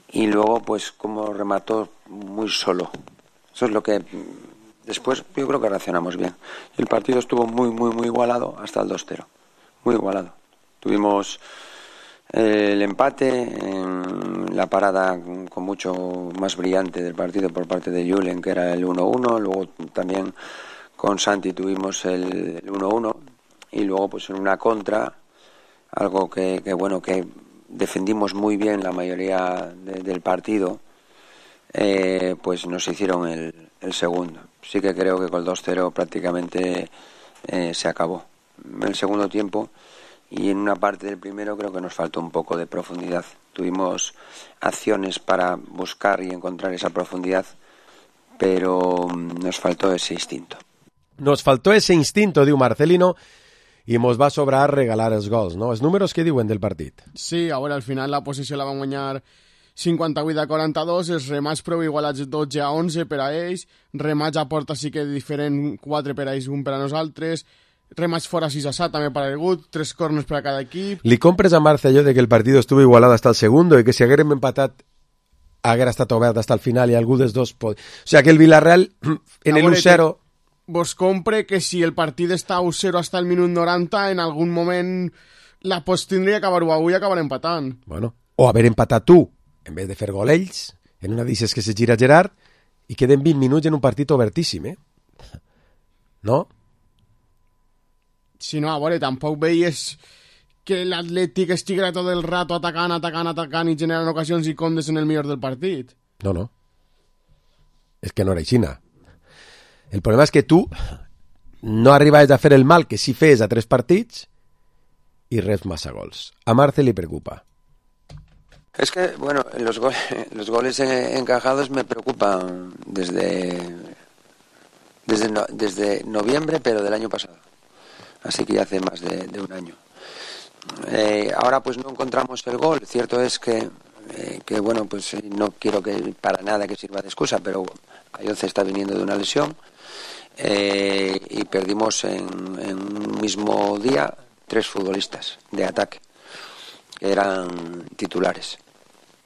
Y luego, pues, como remató muy solo. Eso es lo que después yo creo que reaccionamos bien. Y el partido estuvo muy igualado hasta el 2-0. Muy igualado. Tuvimos el empate, en la parada con mucho más brillante del partido por parte de Julen, que era el 1-1. Luego también con Santi tuvimos el 1-1. Y luego, pues, en una contra, algo que defendimos muy bien la mayoría del partido, pues nos hicieron el segundo. Sí que creo que con el 2-0 prácticamente se acabó. En el segundo tiempo y en una parte del primero creo que nos faltó un poco de profundidad. Tuvimos acciones para buscar y encontrar esa profundidad, pero nos faltó ese instinto. Nos faltó ese instinto, diu Marcelino, i mos va sobrar regalar els gols, no? Els números que diuen del partit? Sí, a veure, al final la posició la van guanyar 58-42, els remats prou igualats 12-11 per a ells, remats a porta sí que diferent, 4 per a ells, 1 per a nosaltres, remats fora 6-7 també per a Ergut, 3 corners per a cada equip. Li compres a Marce allò de que el partit estuvo igualado hasta el segundo i que si haguérem empatat haguera estat obert hasta el final i algú dels dos O sea, que el Villarreal en el 1-0... Vos compre que si el partit està 1-0 hasta el minut 90, en algun moment la pots tindria que acabar-ho avui i acabar empatant. Bueno, o haver empatat tu, en vez de fer gol ells, en una d'ixes que se gira Gerard, i queden 20 minuts en un partit obertíssim, eh? No? Si no, a veure, tampoc veies que l'Atlètic estiguera tot el rato atacant i generant ocasions i condes en el millor del partit. No. És que no era aixina. El problema és que tu no arribaves a fer el mal que sí fes a 3 partits y reps massa gols. A Marce li preocupa. Es que, bueno, los goles encajados me preocupan desde noviembre, pero del año pasado. Así que ya hace más de un año. Ahora pues no encontramos el gol. Cierto es que bueno, pues no quiero que para nada que sirva de excusa, pero Ayoce está viniendo de una lesión. y perdimos en un mismo día 3 futbolistas de ataque que eran titulares.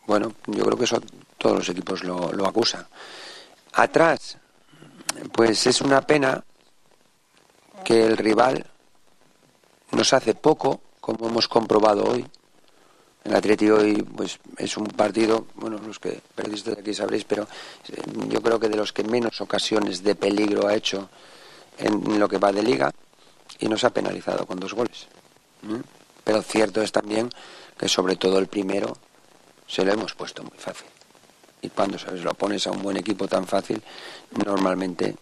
Bueno, yo creo que eso todos los equipos lo acusan. Atrás, pues es una pena que el rival nos hace poco, como hemos comprobado hoy. El Atleti hoy pues es un partido, bueno, los que periodistas de aquí sabréis, pero yo creo que de los que menos ocasiones de peligro ha hecho en lo que va de liga, y nos ha penalizado con 2 goles. Pero cierto es también que sobre todo el primero se lo hemos puesto muy fácil. Y cuando lo pones a un buen equipo tan fácil, normalmente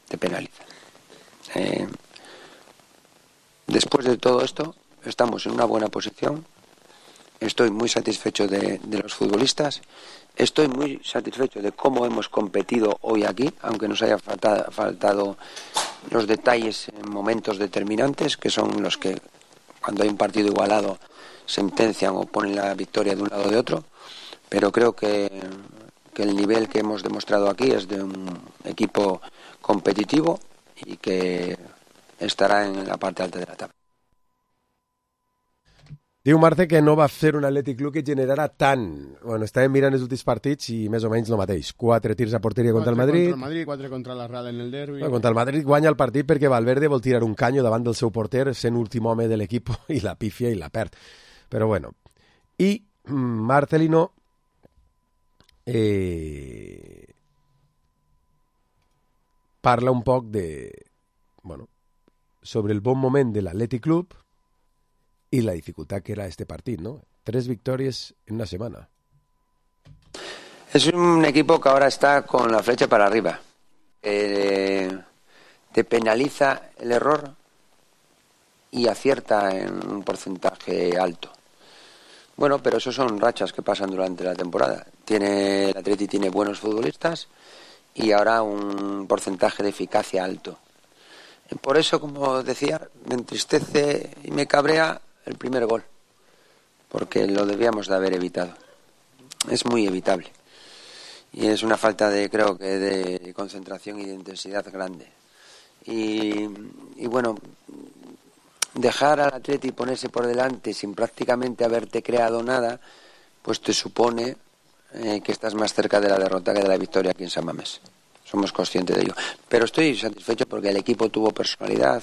te penaliza. Después de todo esto, estamos en una buena posición. Estoy muy satisfecho de los futbolistas. Estoy muy satisfecho de cómo hemos competido hoy aquí, aunque nos haya faltado los detalles en momentos determinantes, que son los que, cuando hay un partido igualado, sentencian o ponen la victoria de un lado o de otro. Pero creo que el nivel que hemos demostrado aquí es de un equipo competitivo y que estarà en la part alta de la tabla. Diu Marce que no va fer un Atlètic Club que generara tant. Bueno, estàvem mirant els últims partits i més o menys el mateix. 4 tirs a porteria contra el Madrid. 4 contra el Madrid, 4 contra la Real en el derbi. Bueno, contra el Madrid guanya el partit perquè Valverde vol tirar un canyo davant del seu porter, sent últim home de l'equip, i la pifia i la perd. Però bueno. I Marcelino parla un poc de... Bueno, sobre el bon moment de l'Atlètic Club y la dificultad que era este partido, ¿no? 3 victorias en una semana. Es un equipo que ahora está con la flecha para arriba. Te penaliza el error y acierta en un porcentaje alto. Bueno, pero eso son rachas que pasan durante la temporada. El Atleti tiene buenos futbolistas y ahora un porcentaje de eficacia alto. Por eso, como decía, me entristece y me cabrea el primer gol, porque lo debíamos de haber evitado. Es muy evitable y es una falta creo que de concentración y de intensidad grande. Y bueno, dejar al Atleti ponerse por delante sin prácticamente haberte creado nada, pues te supone que estás más cerca de la derrota que de la victoria aquí en San Mamés. Somos conscientes de ello. Pero estoy satisfecho porque el equipo tuvo personalidad,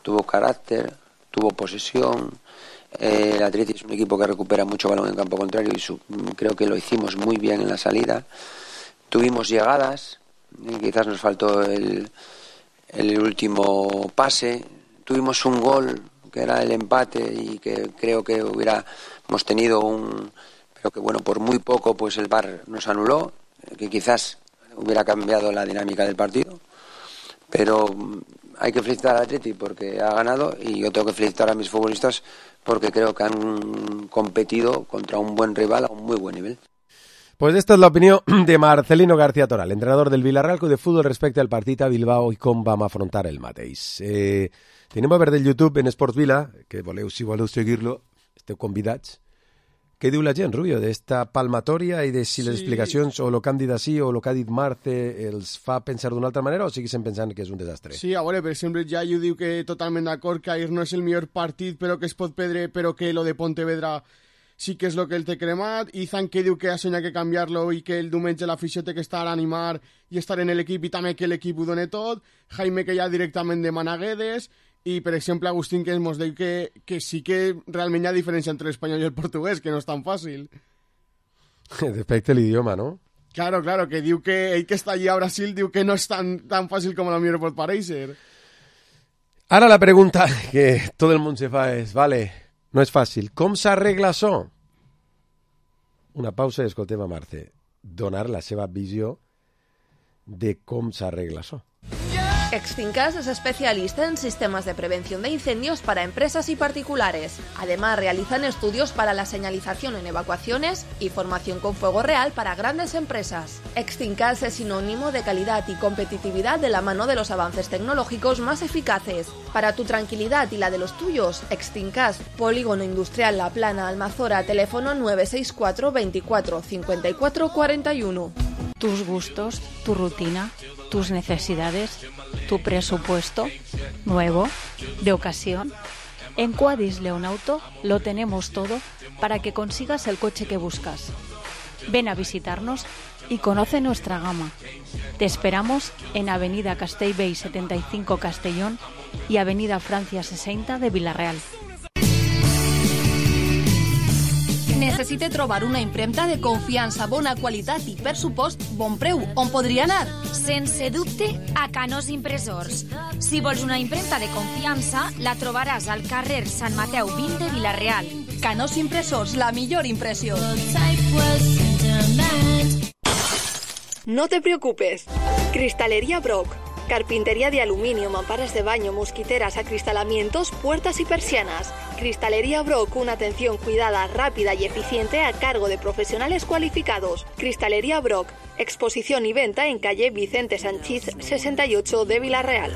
tuvo carácter, tuvo posesión. El Atleti es un equipo que recupera mucho balón en campo contrario y creo que lo hicimos muy bien en la salida. Tuvimos llegadas, quizás nos faltó el último pase. Tuvimos un gol que era el empate y que creo que hubiéramos tenido pero que bueno, por muy poco pues el VAR nos anuló, que quizás hubiera cambiado la dinámica del partido. Pero hay que felicitar al Atleti porque ha ganado y yo tengo que felicitar a mis futbolistas porque creo que han competido contra un buen rival a un muy buen nivel. Pues esta es la opinió de Marcelino García Toral, entrenador del Villarreal Club de Fútbol respecte al partit a Bilbao i com vam afrontar el mateix. Tenim a veure del YouTube en Esports Vila, que si voleu seguir-lo, esteu convidats. Què diu la gent, Rubio, d'esta palmatòria i de si les explicacions o el que han dit així o el que ha dit Marce els fa pensar d'una altra manera o segueixen pensant que és un desastre? Sí, a veure, per exemple, ja jo diu que totalment d'acord que ahir no és el millor partit però que es pot perdre, però que lo de Pontevedra sí que és el que el té cremat. Izan que diu que ha soñat que canviar-lo i que el diumenge l'afició té que estar a animar i estar en l'equip i també que l'equip ho doni tot. Jaime que ja directament demana Guedes. I, per exemple, Agustín que ens diu que sí que realment hi ha diferència entre l'espanyol i el portuguès, que no és tan fàcil. Respecte a l'idioma, ¿no? Claro, que diu que ell que està allí a Brasil diu que no és tan fàcil com a lo millor pot parèixer. Ara la pregunta que tot el món se fa és, vale, no és fàcil, com s'arregla això? Una pausa i escoltem a Marce donar la seva visió de com s'arregla això. Extinkas es especialista en sistemas de prevención de incendios para empresas y particulares. Además, realizan estudios para la señalización en evacuaciones y formación con fuego real para grandes empresas. Extinkas es sinónimo de calidad y competitividad de la mano de los avances tecnológicos más eficaces. Para tu tranquilidad y la de los tuyos, Extinkas, Polígono Industrial La Plana, Almazora, teléfono 964 24 54 41. tus gustos, tu rutina, tus necesidades, tu presupuesto, nuevo, de ocasión. En Quadis Leonauto lo tenemos todo para que consigas el coche que buscas. Ven a visitarnos y conoce nuestra gama. Te esperamos en Avenida Castellbell 75 Castellón y Avenida Francia 60 de Vila-real. Necessite trobar una impremta de confiança, bona qualitat i, per supost, bon preu. On podria anar? Sense dubte, a Canós Impressors. Si vols una impremta de confiança, la trobaràs al carrer Sant Mateu 20 de Vila-real. Canós Impressors, la millor impressió. No te preocupes. Cristalería Brock. Carpintería de aluminio, mamparas de baño, mosquiteras, acristalamientos, puertas y persianas. Cristalería Brock, una atención cuidada, rápida y eficiente a cargo de profesionales cualificados. Cristalería Brock, exposición y venta en calle Vicente Sanchís 68 de Vila-real.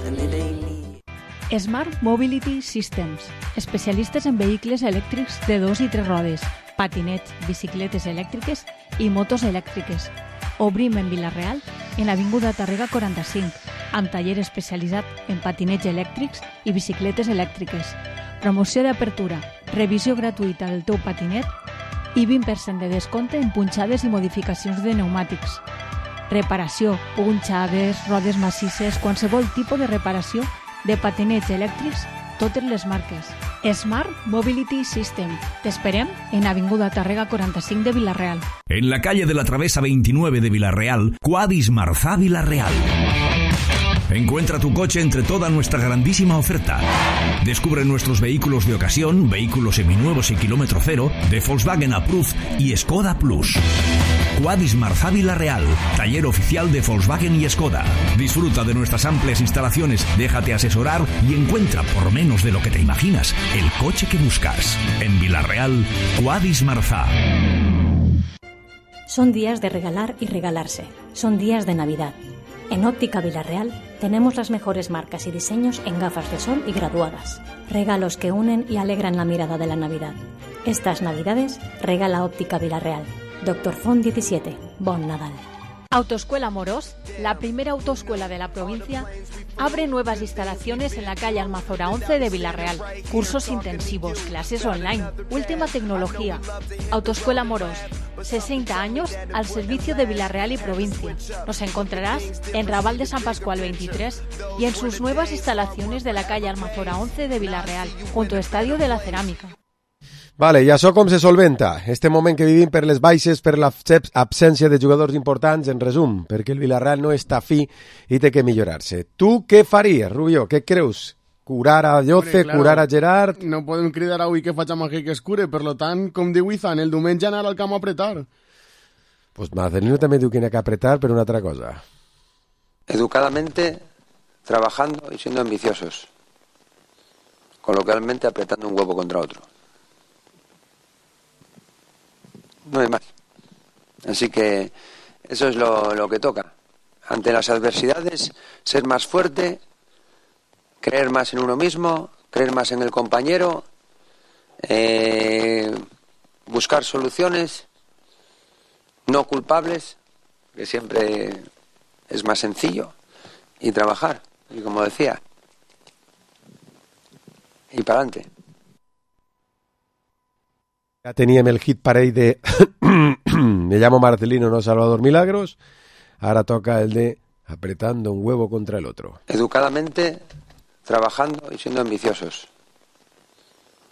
Smart Mobility Systems, especialistes en vehicles elèctrics de 2 i 3 rodes, patinets, bicicletes elèctriques i motos elèctriques. Obrim en Vila-real, en l'Avinguda Tàrrega 45, amb taller especialitzat en patinets elèctrics i bicicletes elèctriques. Promoció d'apertura, revisió gratuïta del teu patinet i 20% de descompte en punxades i modificacions de pneumàtics. Reparació, punxades, rodes massisses, qualsevol tipus de reparació de patinets elèctrics, totes les marques. Smart Mobility System. Te esperem en Avinguda Tàrrega 45 de Vila-real. En la calle de la Travesa 29 de Vila-real, Quadis Marzá Vila-real. Encuentra tu coche entre toda nuestra grandísima oferta. Descubre nuestros vehículos de ocasión, vehículos seminuevos y kilómetro cero, de Volkswagen Approved y Skoda Plus. Quadis Marzá Vila-real, taller oficial de Volkswagen y Skoda. Disfruta de nuestras amplias instalaciones, déjate asesorar y encuentra, por menos de lo que te imaginas, el coche que buscas. En Vila-real, Quadis Marzá. Son días de regalar y regalarse. Son días de Navidad. En Óptica Vila-real tenemos las mejores marcas y diseños en gafas de sol y graduadas. Regalos que unen y alegran la mirada de la Navidad. Estas Navidades regala Óptica Vila-real. Dr. Font 17. Bon Nadal. Autoescuela Morós, la primera autoescuela de la provincia, abre nuevas instalaciones en la calle Almazora 11 de Vila-real. Cursos intensivos, clases online, última tecnología. Autoescuela Morós, 60 años al servicio de Vila-real y provincia. Nos encontrarás en Raval de San Pascual 23 y en sus nuevas instalaciones de la calle Almazora 11 de Vila-real, junto al Estadio de la Cerámica. Vale, i això com se solventa? Este moment que vivim per les baixes, per l'absència de jugadors importants, en resum, perquè el Vila-real no està fi i té que millorar-se. Tu què faries, Rubió? Què creus? Curar a Lloce, claro, curar a Gerard... No podem cridar avui que faig màgia que es cure, per lo tant, com diu Izan, el diumenge anar al camp a apretar. Pues Marcelino també diu que n'ha que apretar per una altra cosa. Educadamente, trabajando y siendo ambiciosos. Coloquialmente, apretando un huevo contra otro. No hay más. Así que eso es lo que toca. Ante las adversidades, ser más fuerte, creer más en uno mismo, creer más en el compañero, buscar soluciones no culpables, que siempre es más sencillo, y trabajar, y como decía, y para adelante. Ya teníem el hit parell de Me llamo Marcelino, no Salvador Milagros. Ahora toca el de Apretando un huevo contra el otro. Educadamente, trabajando y siendo ambiciosos.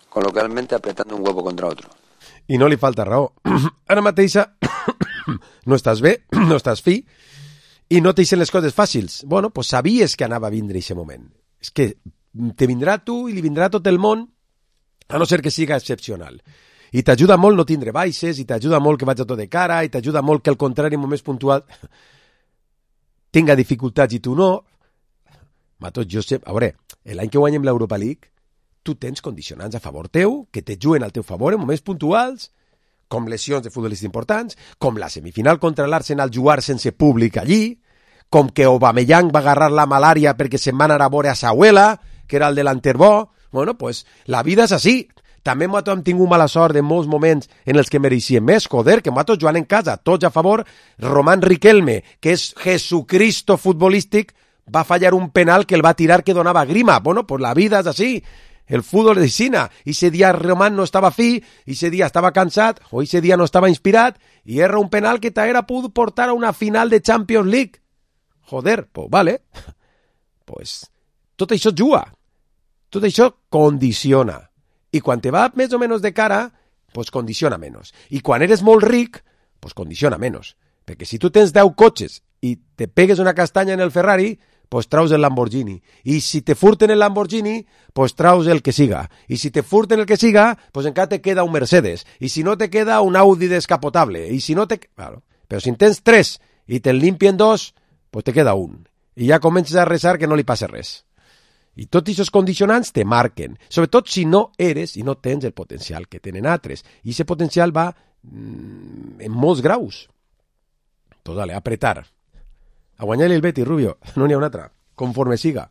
Coloquialmente, apretando un huevo contra otro. I no li falta raó. Ara mateixa no estàs bé, no estàs fi, i no t'eixen les coses fàcils. Bueno, pues sabies que anava a vindre aquest moment. És que te vindrà tu i li vindrà tot el món, a no ser que siga excepcional. I t'ajuda molt no tindre baixes, i t'ajuda molt que vaig a tot de cara, i t'ajuda molt que al contrari, en moments puntuals, tinga dificultats i tu no. Matos, jo sé... A veure, l'any que guanyem l'Europa League, tu tens condicionants a favor teu, que te juguen al teu favor en moments puntuals, com lesions de futbolistes importants, com la semifinal contra l'Arsenal jugar sense públic allí, com que Aubameyang va agarrar la malària perquè se'n va anar a veure a sa abuela, que era el delanter bo. Bueno, pues la vida és així. També nosaltres hem tingut mala sort en molts moments en els que mereixíem més, joder, que nosaltres jugant en casa, tots a favor. Román Riquelme, que és Jesucristo futbolístic, va fallar un penal que el va tirar que donava grima. Bueno, pues la vida és així. El fútbol és així. I ese dia Román no estava fi, i ese dia estava cansat, o ese dia no estava inspirat, i erra un penal que t'haguera pogut portar a una final de Champions League. Joder, pues vale. Pues tot això juga. Tot això condiciona. I quan te va més o menys de cara, pues condiciona menys. I quan eres molt ric, pues condiciona menys. Perquè si tu tens 10 cotxes i te pegues una castanya en el Ferrari, pues traus el Lamborghini. I si te furten el Lamborghini, pues traus el que siga. I si te furten el que siga, pues encara te queda un Mercedes. I si no te queda un Audi descapotable. I si no te... Claro. Però si en tens 3 i te'n limpien 2, pues te queda un. I ja comences a resar que no li passa res. I tots aquests condicionants te marquen, sobretot si no eres i no tens el potencial que tenen altres. I aquest potencial va en molts graus. Pues dale, apretar. A guanyar el Betis, Rubio, no n'hi ha un altre. Conforme siga.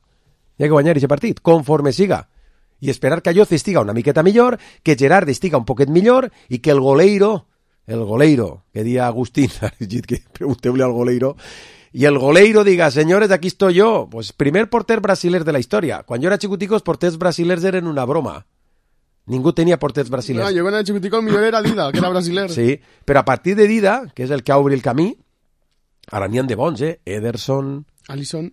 Hi ha que guanyar aquest partit, conforme siga. I esperar que Ayoce estiga una miqueta millor, que Gerard estiga un poquet millor i que el goleiro, que dia Agustín, que pregunteu-li al goleiro, y el goleiro diga, señores, aquí estoy yo. Pues primer porter brasiler de la historia. Quan jo era xicutico, els porters brasilers eren una broma. Ningú tenia porters brasilers. No, jo quan era xicutico el millor era Dida, que era brasiler. Sí, però a partir de Dida, que és el que obri el camí, ara n'hi ha de bons, Ederson... Alisson.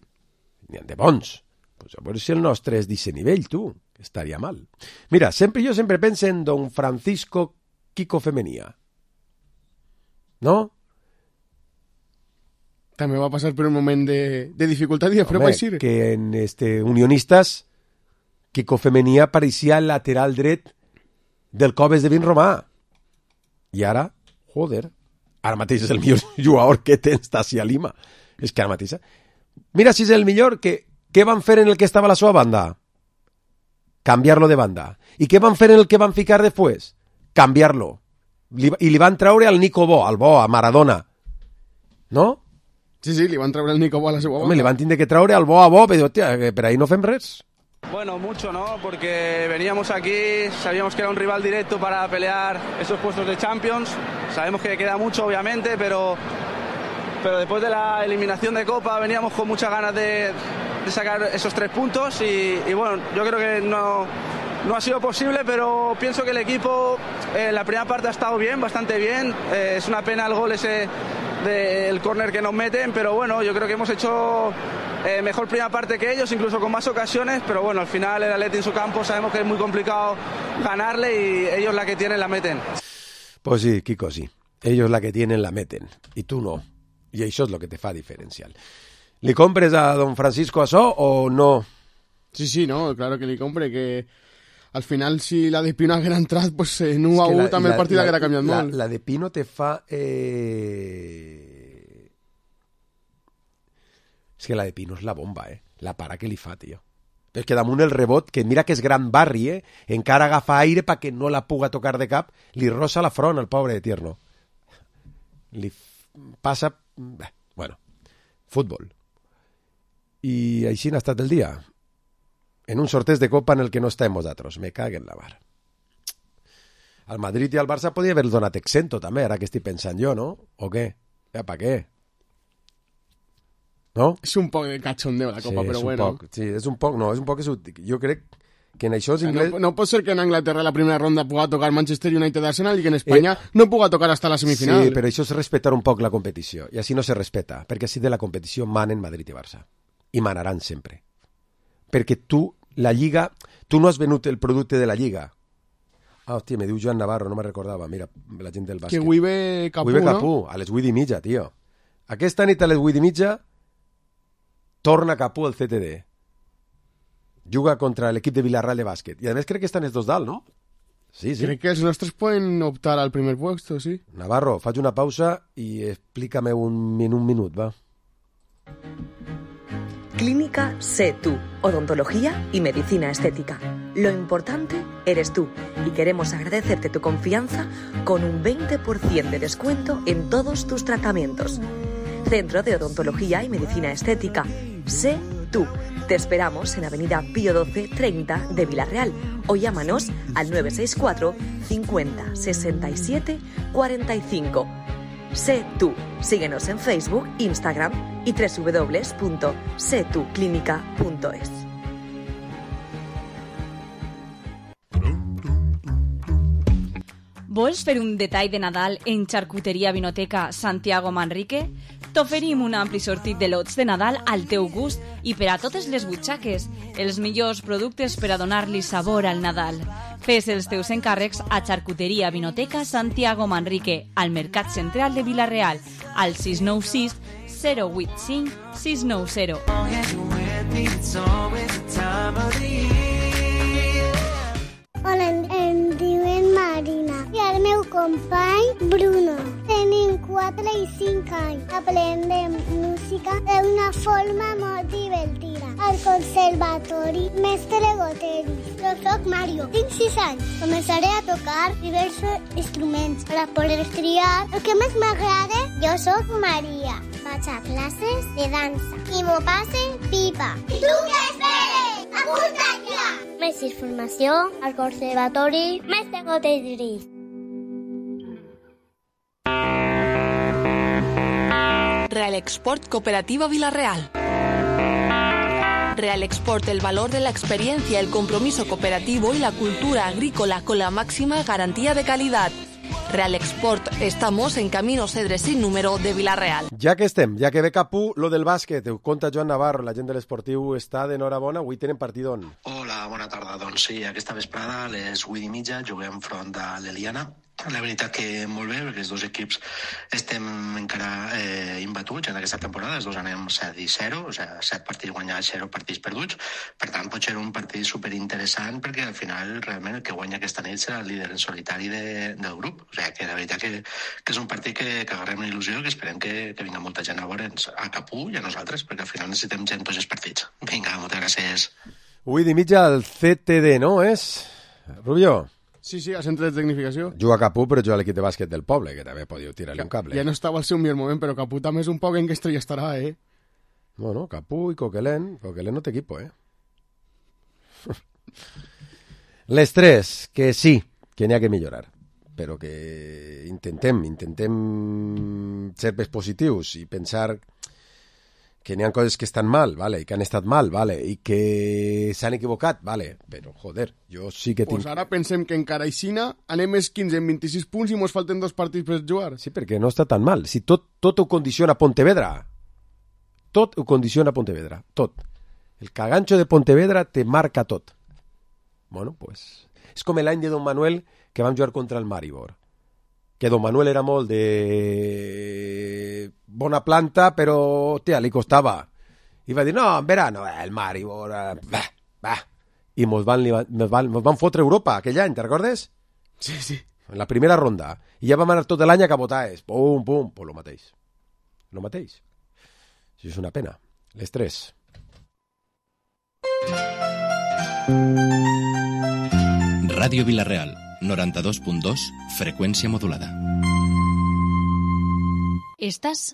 N'hi ha de bons. Pues a veure si el nostre és d'aquest nivell, tu. Que estaria mal. Mira, jo sempre penso en don Francisco Kiko Femenía. ¿No? També va passar per un moment de dificultat i després va eixir. Que en Unionistas, Kiko Femenía pareixia el lateral dret del Coves de Vin Romà. I ara, joder, ara mateix és el millor jugador que tens d'ací a Lima. És que ara mateix... Mira si és el millor, què van fer en el que estava a la seva banda? Canviar-lo de banda. I què van fer en el que van ficar després? Canviar-lo. I li van traure al Nico Bo, a Maradona. No? Sí, li van treure el Nico Bo a la seva banda. Home, li van tindre que treure al Bo a Bo, però, hòstia, per ahí no fem res. Bueno, mucho, ¿no? Porque veníamos aquí, sabíamos que era un rival directo para pelear esos puestos de Champions. Sabemos que queda mucho, obviamente, pero después de la eliminación de Copa veníamos con muchas ganas de sacar esos 3 puntos y bueno, yo creo que no ha sido posible, pero pienso que el equipo en la primera parte ha estado bien, bastante bien. Es una pena el gol ese del córner que nos meten, pero bueno, yo creo que hemos hecho mejor primera parte que ellos, incluso con más ocasiones, pero bueno, al final el Atleti en su campo sabemos que es muy complicado ganarle y ellos la que tienen la meten. Pues sí, Kiko, sí. Ellos la que tienen la meten, y tú no. I això és el que te fa diferencial. Li compres a don Francisco això o no? Sí, no, claro que li compre, que al final si la de Pino haguera entrat, pues en 1-1 també el partit haguera canviat molt. La de Pino te fa... És que la de Pino és la bomba, la para que li fa, tio. És que damunt el rebot, que mira que és gran barri, encara agafa aire perquè no la puga tocar de cap, li rosa la front al pobre de Tierno. Li passa... Bueno, futbol. I així n'ha estat el dia. En un sorteig de Copa en el que no estem nosaltres. Me caguen la mar. Al Madrid i al Barça podria haver donat exento també, ara que estic pensant jo, no? O què? Ja, pa què? No? És un poc de cachondeo la Copa, però bueno. Sí, és un poc, no, és un poc... Jo crec que en això... No pot ser que en Anglaterra la primera ronda puga tocar Manchester United Arsenal i que en Espanya no puga tocar hasta la semifinal. Sí, però això és respectar un poc la competició. I així no se respeta, perquè així de la competició manen Madrid i Barça. I manaran sempre. Perquè tu, la Lliga... Tu no has venut el producte de la Lliga. Ah, hòstia, me diu Joan Navarro, no me recordava. Mira, la gent del bàsquet. Que avui ve Capú, no? A les 8:30, tio. Aquesta nit a les 8:30 torna Capú al CTD. Juga contra l'equip de Villarreal de bàsquet. I a més crec que estan els dos dalt, no? Sí. Crec que els nostres poden optar al primer puesto, sí. Navarro, faig una pausa i explícame en un minut, va. Clínica Sé Tú, odontología y medicina estética. Lo importante eres tú y queremos agradecerte tu confianza con un 20% de descuento en todos tus tratamientos. Centro de Odontología y Medicina Estética. Sé Tú. Te esperamos en Avenida Pío 12 30 de Villarreal o llámanos al 964 50 67 45. Sé tú. Síguenos en Facebook, Instagram y www.setuclínica.es. Vols fer un detall de Nadal en Xarcuteria Vinoteca Santiago Manrique? T'oferim un ampli sortit de lots de Nadal al teu gust i per a totes les butxaques, els millors productes per a donar-li sabor al Nadal. Fes els teus encàrrecs a Xarcuteria Vinoteca Santiago Manrique, al Mercat Central de Vila-real, al 696 085 690. Hola, em diuen Marina i el meu company Bruno. Tenim 4 i 5 anys. Aprendem música d'una forma molt divertida. Al conservatori Mestre Goteris. Jo soc Mario, tinc 6 anys. Començaré a tocar diversos instruments per a poder triar el que més m'agrada. Jo soc Maria. Vaig a classes de dansa i m'ho passe pipa. I tu què esperes? Apunta't ja! Més informació al Conservatori Mestre Goteris. Real Export Cooperativa Vila-real. Real Export, el valor de la experiencia, el compromiso cooperativo y la cultura agrícola con la máxima garantía de calidad. Real Export, estamos en Camino Cedre sin número de Vila-real. Ja que estem, ja que ve Capú, lo del bàsquet, ho conta Joan Navarro, la gent de l'esportiu està d'enhorabona, avui tenen partidon. Hola, bona tarda. Doncs sí, aquesta vesprada a les 8:30 juguem front de l'Eliana. La veritat que molt bé, perquè els dos equips estem encara imbatuts en aquesta temporada, els dos anem 7-0, o sigui, 7 partits guanyats, 0 partits perduts, per tant pot ser un partit superinteressant perquè al final realment el que guanya aquesta nit serà el líder en solitari del grup, o sigui que la veritat que és un partit que agarrem una il·lusió i que esperem que vinga molta gent a veure'ns a Capú i a nosaltres, perquè al final necessitem gent tots els partits. Vinga, moltes gràcies. 8:30 al CTD, no és? Rubio? Sí, al centre de tecnificació. Juga a Capú, però juga a l'equip de bàsquet del poble, que també podíeu tirar-li un cable. Ja no estava al seu millor moment, però Capú també és un poc en què estrella estarà, eh? Bueno, Capú i Coquelin no té equipo, eh? Les tres, que sí, que n'hi ha que millorar, però que intentem ser més positius i pensar que n'hi ha coses que estan mal, vale, i que han estat mal, vale, i que s'han equivocat, vale, però, joder, jo sí que tinc... Pues ara pensem que encara aixina anem més 15 en 26 punts i mos falten 2 partits per jugar. Sí, perquè no està tan mal. Si tot ho condiciona Pontevedra. Tot ho condiciona Pontevedra, tot. El cagancho de Pontevedra te marca tot. Bueno, pues... És com l'any de Don Manuel que vam jugar contra el Maribor. Que Don Manuel era molt de bona planta, però, hòstia, li costava. I va dir, no, en verano, el Maribor, va. I mos van fotre Europa aquell any, te recordes? Sí. En la primera ronda. I ja vam anar tot l'any a cabotaes. Pum, pues lo mateix. Això és una pena. Les tres. Ràdio Vila-real, 92.2, freqüència modulada. Estàs